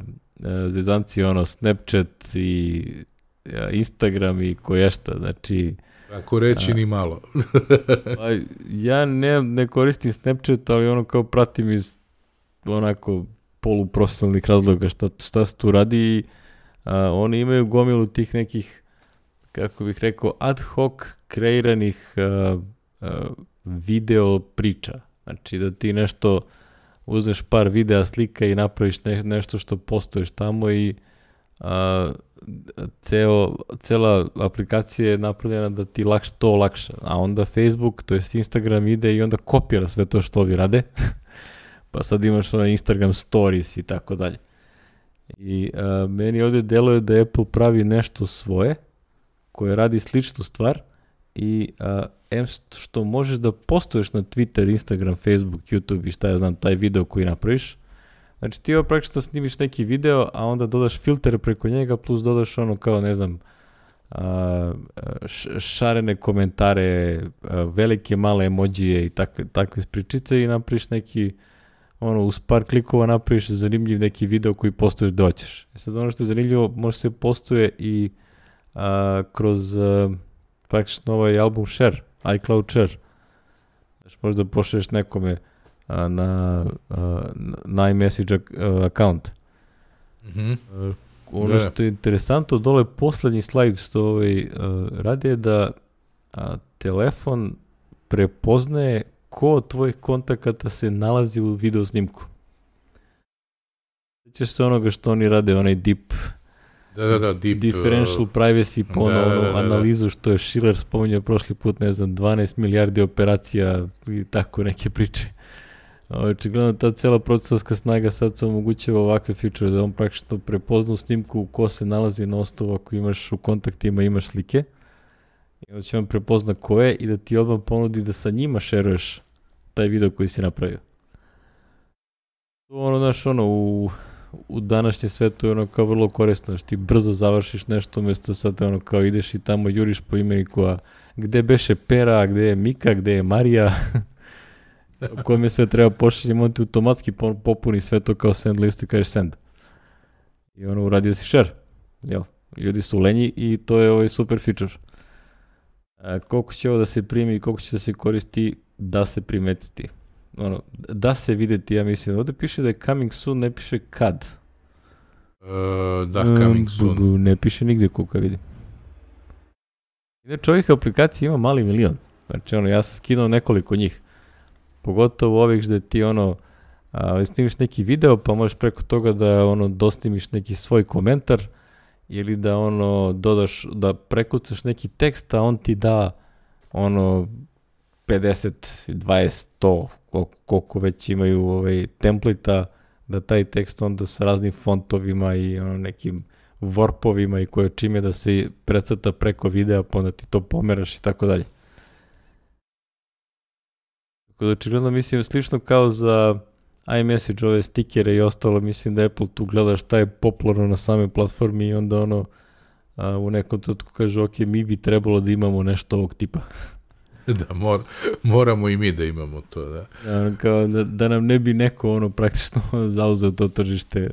zezanci, Snapchat i Instagram i koješta, znači... Ako reći ni malo. Ja ne koristim Snapchat, ali kao pratim iz onako poluprofesionalnih razloga šta se tu radi i oni imaju gomilu tih nekih, kako bih rekao, ad hoc kreiranih video priča. Znači da ti nešto uzmeš par videa, slika i napraviš nešto što postoješ tamo i cela aplikacija je napravljena da ti to lakša, a onda Facebook, to jest Instagram ide i onda kopira sve to što ovi rade, pa sad imaš Instagram stories i tako dalje. I meni ovdje deluje da Apple pravi nešto svoje, koje radi sličnu stvar i što možeš da postuješ na Twitter, Instagram, Facebook, YouTube i šta ja znam, taj video koji napraviš. Znači ti praktično snimiš neki video, a onda dodaš filtere preko njega, plus dodaš kao, ne znam, šarene komentare, velike, male emojije i takve pričice i napraviš neki, uz par klikova napraviš zanimljiv neki video koji postuješ da hoćeš. Sad što je zanimljivo, može se postuje i kroz praktično ovaj album share, iCloud share. Znači možda pošalješ nekome na iMessage account. Što je interesantno, dole poslednji slajd što radi je da telefon prepoznaje ko od tvojih kontakata se nalazi u video snimku. Sjećaš se onoga što oni rade, onaj deep differential privacy po analizu što je Schiller spominjao prošli put, ne znam, 12 milijardi operacija i tako neke priče. Očigledno ta cela procesarska snaga sad se omogućava ovakve feature da on praktično prepozna u snimku ko se nalazi na osnovu ako imaš u kontaktima, imaš slike i onda će on prepozna ko je i da ti odmah ponudi da sa njima šeruješ taj video koji si napravio. U današnjem svetu je kao vrlo korisno, ti brzo završiš nešto umjesto sad kao ideš i tamo juriš po imeniku, a gde beše Pera, gde je Mika, gde je Marija u kojem je sve treba pošaljem, on ti automatski popuni sve to kao send listu i kažeš send. I ono, uradio si share. Jel? Ljudi su lenji i to je ovaj super feature. Koliko će ovo da se primi i koliko će da se koristi, da se primetiti. Ono, da se videti, ja mislim. Ovdje piše da je coming soon, ne piše kad. Da, coming soon. Ne piše nigdje koliko ja vidim. Inače, ovih aplikacija ima mali milion. Znači, ono, ja sam skinuo nekoliko njih. Pogotovo ovih gdje ti, ono, snimiš neki video, pa možeš preko toga da, ono, dostimiš neki svoj komentar ili da, ono, dodaš, da prekucaš neki tekst, a on ti da, ono, 50, 20, 100, koliko već imaju template-a, da taj tekst onda sa raznim fontovima i ono nekim warpovima i koje čime da se precrta preko videa, pa onda ti to pomeraš i tako dalje. Tako da očigledno mislim slično kao za iMessage, ove stikere i ostalo, mislim da Apple tu gleda šta je popularno na samoj platformi i onda ono u nekom trenutku kaže ok, mi bi trebalo da imamo nešto ovog tipa. Da, moramo i mi da imamo to, da. Kao da nam ne bi neko ono praktično zauzeo to tržište,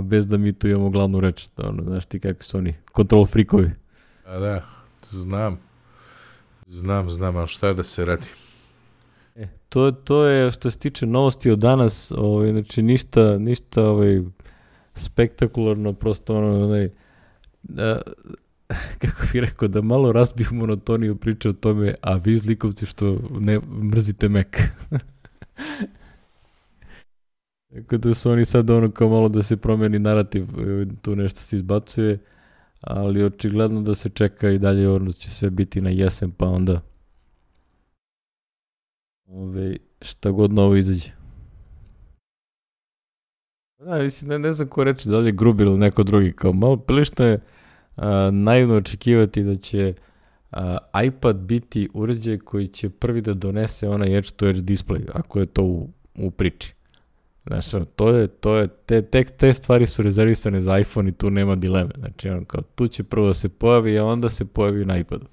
bez da mi tu imamo glavnu reč. Ono, znaš ti kakvi su oni, control freakovi. A da, znam, ali šta da se radi? To je što se tiče novosti od danas, znači ništa spektakularno, prosto ono, kako bih rekao, da malo razbiju monotoniju priče o tome, a vi zlikovci što ne mrzite Mac. Tako da su oni sad ono kao malo da se promeni narativ, tu nešto se izbacuje, ali očigledno da se čeka i dalje, ono će sve biti na jesen, pa onda šta god novo izađe. Mislim, ne znam ko reći, da li je Gruber ili neko drugi, kao malo prilično je naivno očekivati da će iPad biti uređaj koji će prvi da donese onaj edge-to-edge display, ako je to u priči. Znaš, te stvari su rezervisane za iPhone i tu nema dileme. Znači, kao, tu će prvo da se pojavi, a onda se pojavi na iPadu.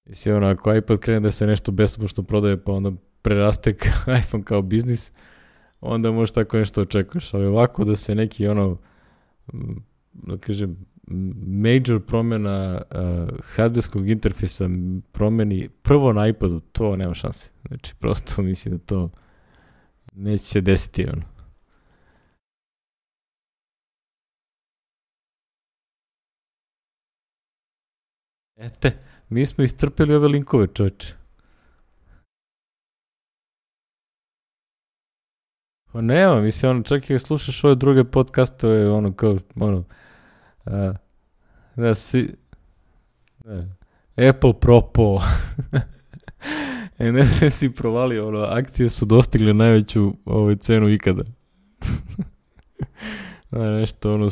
Mislim, ako iPad krene da se nešto besomučno prodaje, pa onda preraste iPhone kao biznis, onda možeš tako nešto očekuješ. Ali ovako da se neki, da kažem, major promjena hardwareskog interfejsa promeni prvo na iPadu, to nema šanse. Znači, prosto mislim da to neće se desiti, mi smo istrpeli ove linkove, čovječe. Pa nema, mislim, čak i slušaš ove druge podcastove, Apple propo. Ne znam si provalio, akcije su dostigle najveću cenu ikada. Nešto,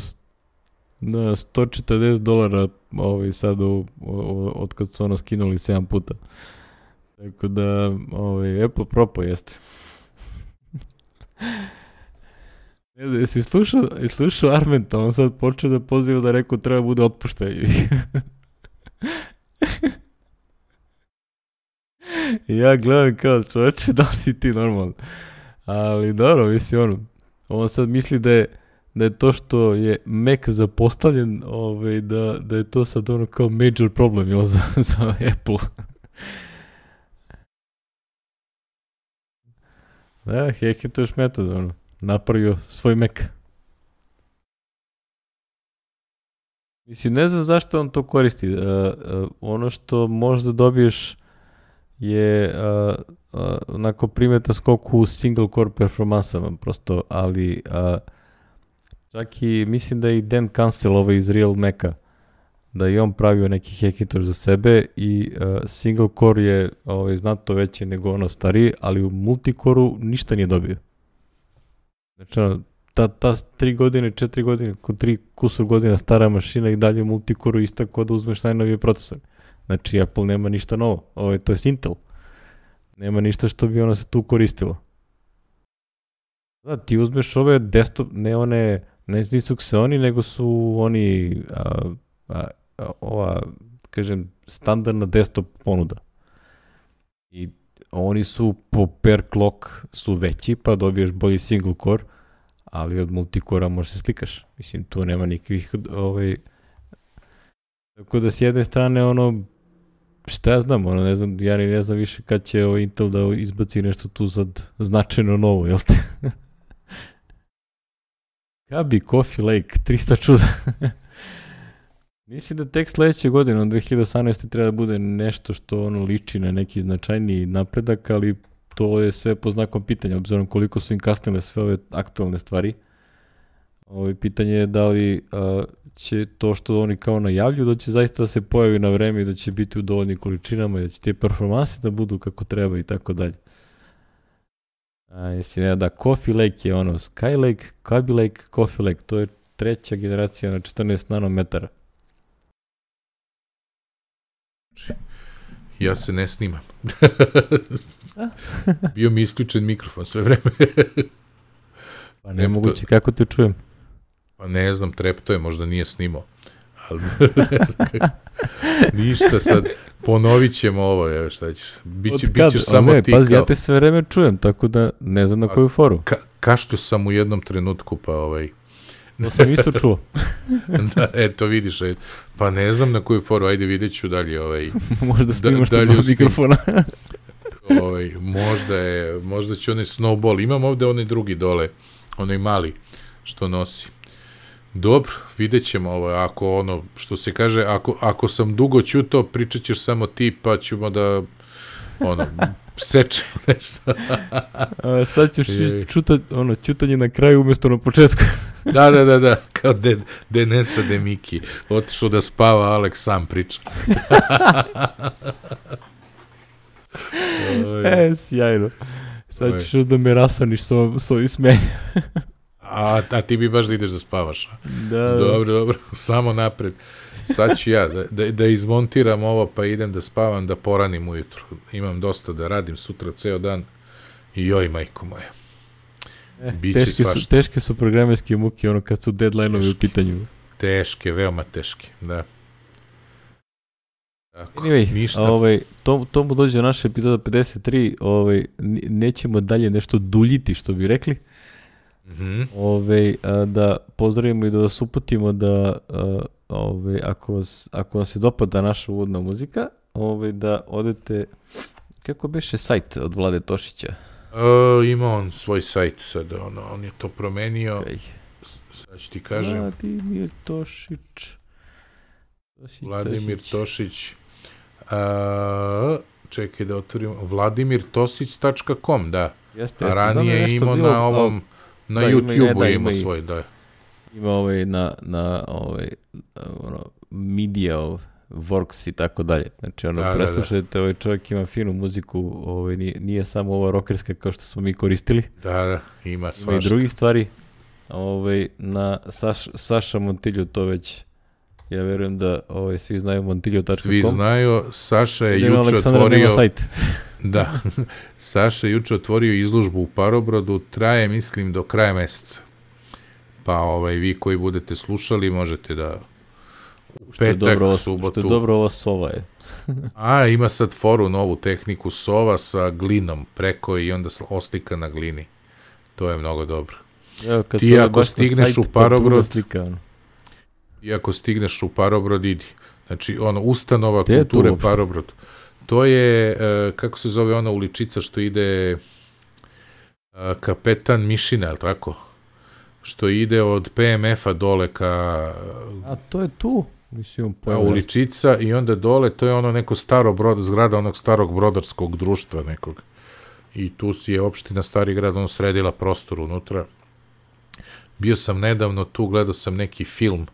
$140 sad od kad su skinuli 7 puta. Tako da, Apple propo jeste. Ne znam, jesi slušao Armenta, on sad počeo da poziva da rekao treba bude otpuštaj. Ja gledam kao čovječe, da li si ti normalno. Ali dobro, mislim, on sad misli da je to što je Mac zapostavljen, da je to sad kao major problem za Apple. Da, Hackintosh metod, napravio svoj Mac. Mislim, ne znam zašto on to koristi. Ono što možda dobiješ je onako primetan skok u single core performansama, prosto, ali čak i mislim da je i Dan Cancel iz Real Maca, da je on pravio neki Hackintosh za sebe i single core je znatno veće nego ono stariji, ali u multicore-u ništa nije dobio. Znači, ta 3 godine, 4 godine, 3 kusur godina stara mašina i dalje u multicore-u ista kao da uzmeš najnovije procesore. Znači, Apple nema ništa novo, to je Intel. Nema ništa što bi se tu koristilo. Da, ti uzmeš ove desktop, ne nisu Xeoni, nego su oni ova, kažem, standardna desktop ponuda. I oni su po per clock su veći, pa dobiješ bolji single core, ali od multikora možeš se slikaš. Mislim, tu nema nikakvih, tako da s jedne strane, šta ja znam, ne znam, ja ne znam više kad će Intel da izbaci nešto tu sad značajno novo, jel te? Kabi, Coffee Lake, 300 čuda. Mislim da tek sledeće godine, 2018. treba da bude nešto što liči na neki značajniji napredak, ali to je sve po znakom pitanja, obzirom koliko su im kasnile sve ove aktualne stvari. Pitanje je da li će to što oni kao najavljuju, da će zaista da se pojavi na vreme i da će biti u dovoljnim količinama i da će te performanse da budu kako treba i tako dalje. Da, Coffee Lake je Sky Lake, Kaby Lake, Coffee Lake, to je 3. generacija na 14 nanometara. Ja se ne snimam. Bio mi isključen mikrofon sve vreme. Pa nemoguće, kako te čujem? Pa ne znam, trepto je, možda nije snimao. Ali ne znam kako. Ništa sad, ponovit ćemo ovo, evo šta ćeš. Bićeš samo ti pazi, ja te sve vreme čujem, tako da ne znam na koju foru. Kašto sam u jednom trenutku, pa To sam isto čuo. Da, eto vidiš, pa ne znam na koju foru, ajde vidjet ću dalje. Možda snimaš to do mikrofona. Možda će onaj snowball, imam ovde onaj drugi dole, onaj mali što nosi. Dobro, vidjet ćemo ako što se kaže, ako sam dugo ćutao, pričat ćeš samo ti, pa ćemo da sečemo nešto. Sad ćeš čutanje na kraju umjesto na početku. Da, kao de nestade Miki, otišao da spava, Aleks sam priča. Sjajno. Sad ćeš da me rasaniš s ovim smenjem. A ti bi baš da ideš da spavaš. Da. Dobro, samo napred. Sad ću ja da izmontiram ovo, pa idem da spavam, da poranim ujutru. Imam dosta da radim sutra ceo dan. I joj, majko moja. Teške su programerske muke, kad su deadline-ovi u pitanju. Teške, veoma teške, da. Tako, anyway, to mu dođe naša epizoda 53, nećemo dalje nešto duljiti, što bi rekli. Da pozdravimo i da vas uputimo da ako vam se dopada naša uvodna muzika, da odete, kako beše sajt od Vlade Tošića? Ima on svoj sajt sad, on je to promenio. Sad ću ti kažem. Vladimir Tošić. Vladimir Tošić. Čekaj da otvorim. vladimirtosić.com, da. Jeste, a ranije imao na ovom, na YouTube-u imao svoj, da. Ima na Media Works i tako dalje. Znači, preslušajte, ovaj čovjek ima finu muziku, nije samo ova rockerska kao što smo mi koristili. Da, ima svašta. Ima i drugih stvari. Na Saša Montilju to već, ja verujem da svi znaju montiljo.com. Svi znaju, Saša je juče otvorio... Da, Saša je juče otvorio izložbu u Parobrodu, traje, mislim, do kraja meseca. Pa vi koji budete slušali, možete da petak, subotu... Što je dobro ova sova je. Ima sad foru, novu tehniku sova sa glinom preko i onda oslika na glini. To je mnogo dobro. Ti ako stigneš u Parobrod... I ako stigneš u Parobrod, idi. Znači, ustanova kulture Parobrod. To je, kako se zove ona uličica što ide Kapetan Mišina, ali tako? Što ide od PMF-a dole ka... A to je tu? Mislim, uličica i onda dole, to je neko zgrada onog starog brodarskog društva nekog. I tu je opština Stari grad, sredila prostor unutra. Bio sam nedavno tu, gledao sam neki film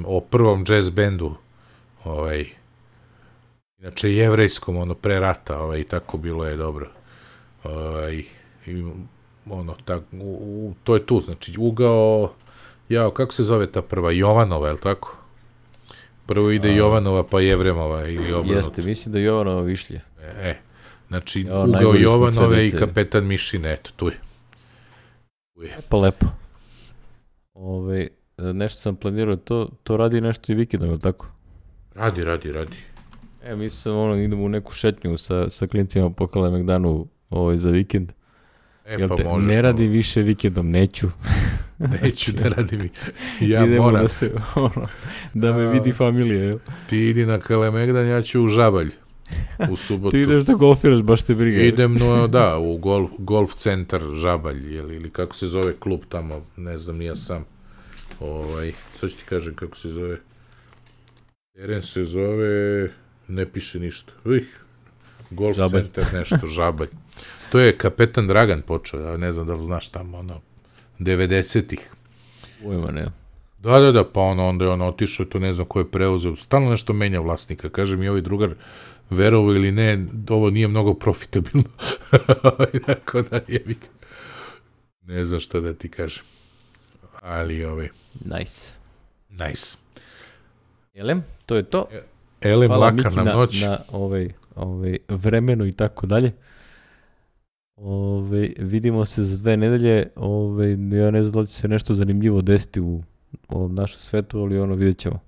o prvom jazz bendu, inače jevrejskom, pre rata, i tako bilo je dobro. To je tu, znači ugao, kako se zove ta prva, Jovanova, je li tako? Prvo ide Jovanova, pa Jevremova ili obrnuto. Jeste, mislim da je Jovanova Višlje. Znači ugao Jovanove i Kapetan Mišine, eto, tu je. Pa lepo. Nešto sam planirao, to radi nešto i vikendom, je li tako? Radi. Mi sam idemo u neku šetnju sa klincima po Kalemegdanu za vikend. Jel Pa te, možeš. ne radi više vikendom, neću. Neću da radim. Ja idemo moram. Da me vidi familija, jel? Ti idi na Kalemegdan, ja ću u Žabalj. U subotu. Ti ideš da golfiraš, baš te briga. Idem, u golf centar Žabalj, ili kako se zove klub tamo, ne znam, nije sam. Sad ću ti kažem kako se zove. Teren se zove, ne piše ništa. Golf Žabalj. centar nešto, Žabalj. To je kapetan Dragan počeo, ne znam da li znaš tamo, 90-ih. Ujma, ne. Da, pa onda je on otišao, to ne znam ko je preuzeo, stalno nešto menja vlasnika, kaže mi ovaj drugar, verovo ili ne, ovo nije mnogo profitabilno. Tako da ne znam šta da ti kažem. Ali Nice. Jelem, to je to. Elem, Hvala laka Miki na noć. na vremenu i tako dalje. Vidimo se za 2 nedelje. Ja ne znam da li će se nešto zanimljivo desiti u ovom našem svetu, ali vidjet ćemo.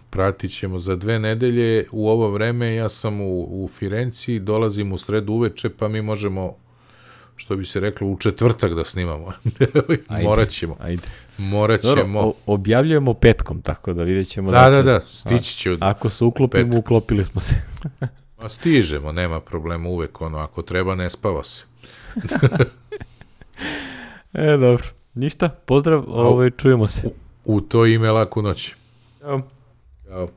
Pratit ćemo za 2 nedelje. U ovo vreme ja sam u Firenci, dolazim u sredu uveče, pa mi možemo, što bi se reklo, u četvrtak da snimamo. Morat ćemo. Dobro, objavljujemo petkom, tako da vidjet ćemo. Da, stići će. Ako se uklopimo, uklopili smo se. Stižemo, nema problema, uvek ako treba, ne spava se. Dobro. Ništa, pozdrav, čujemo se. U to ime, laku noć. Ćao. Ćao.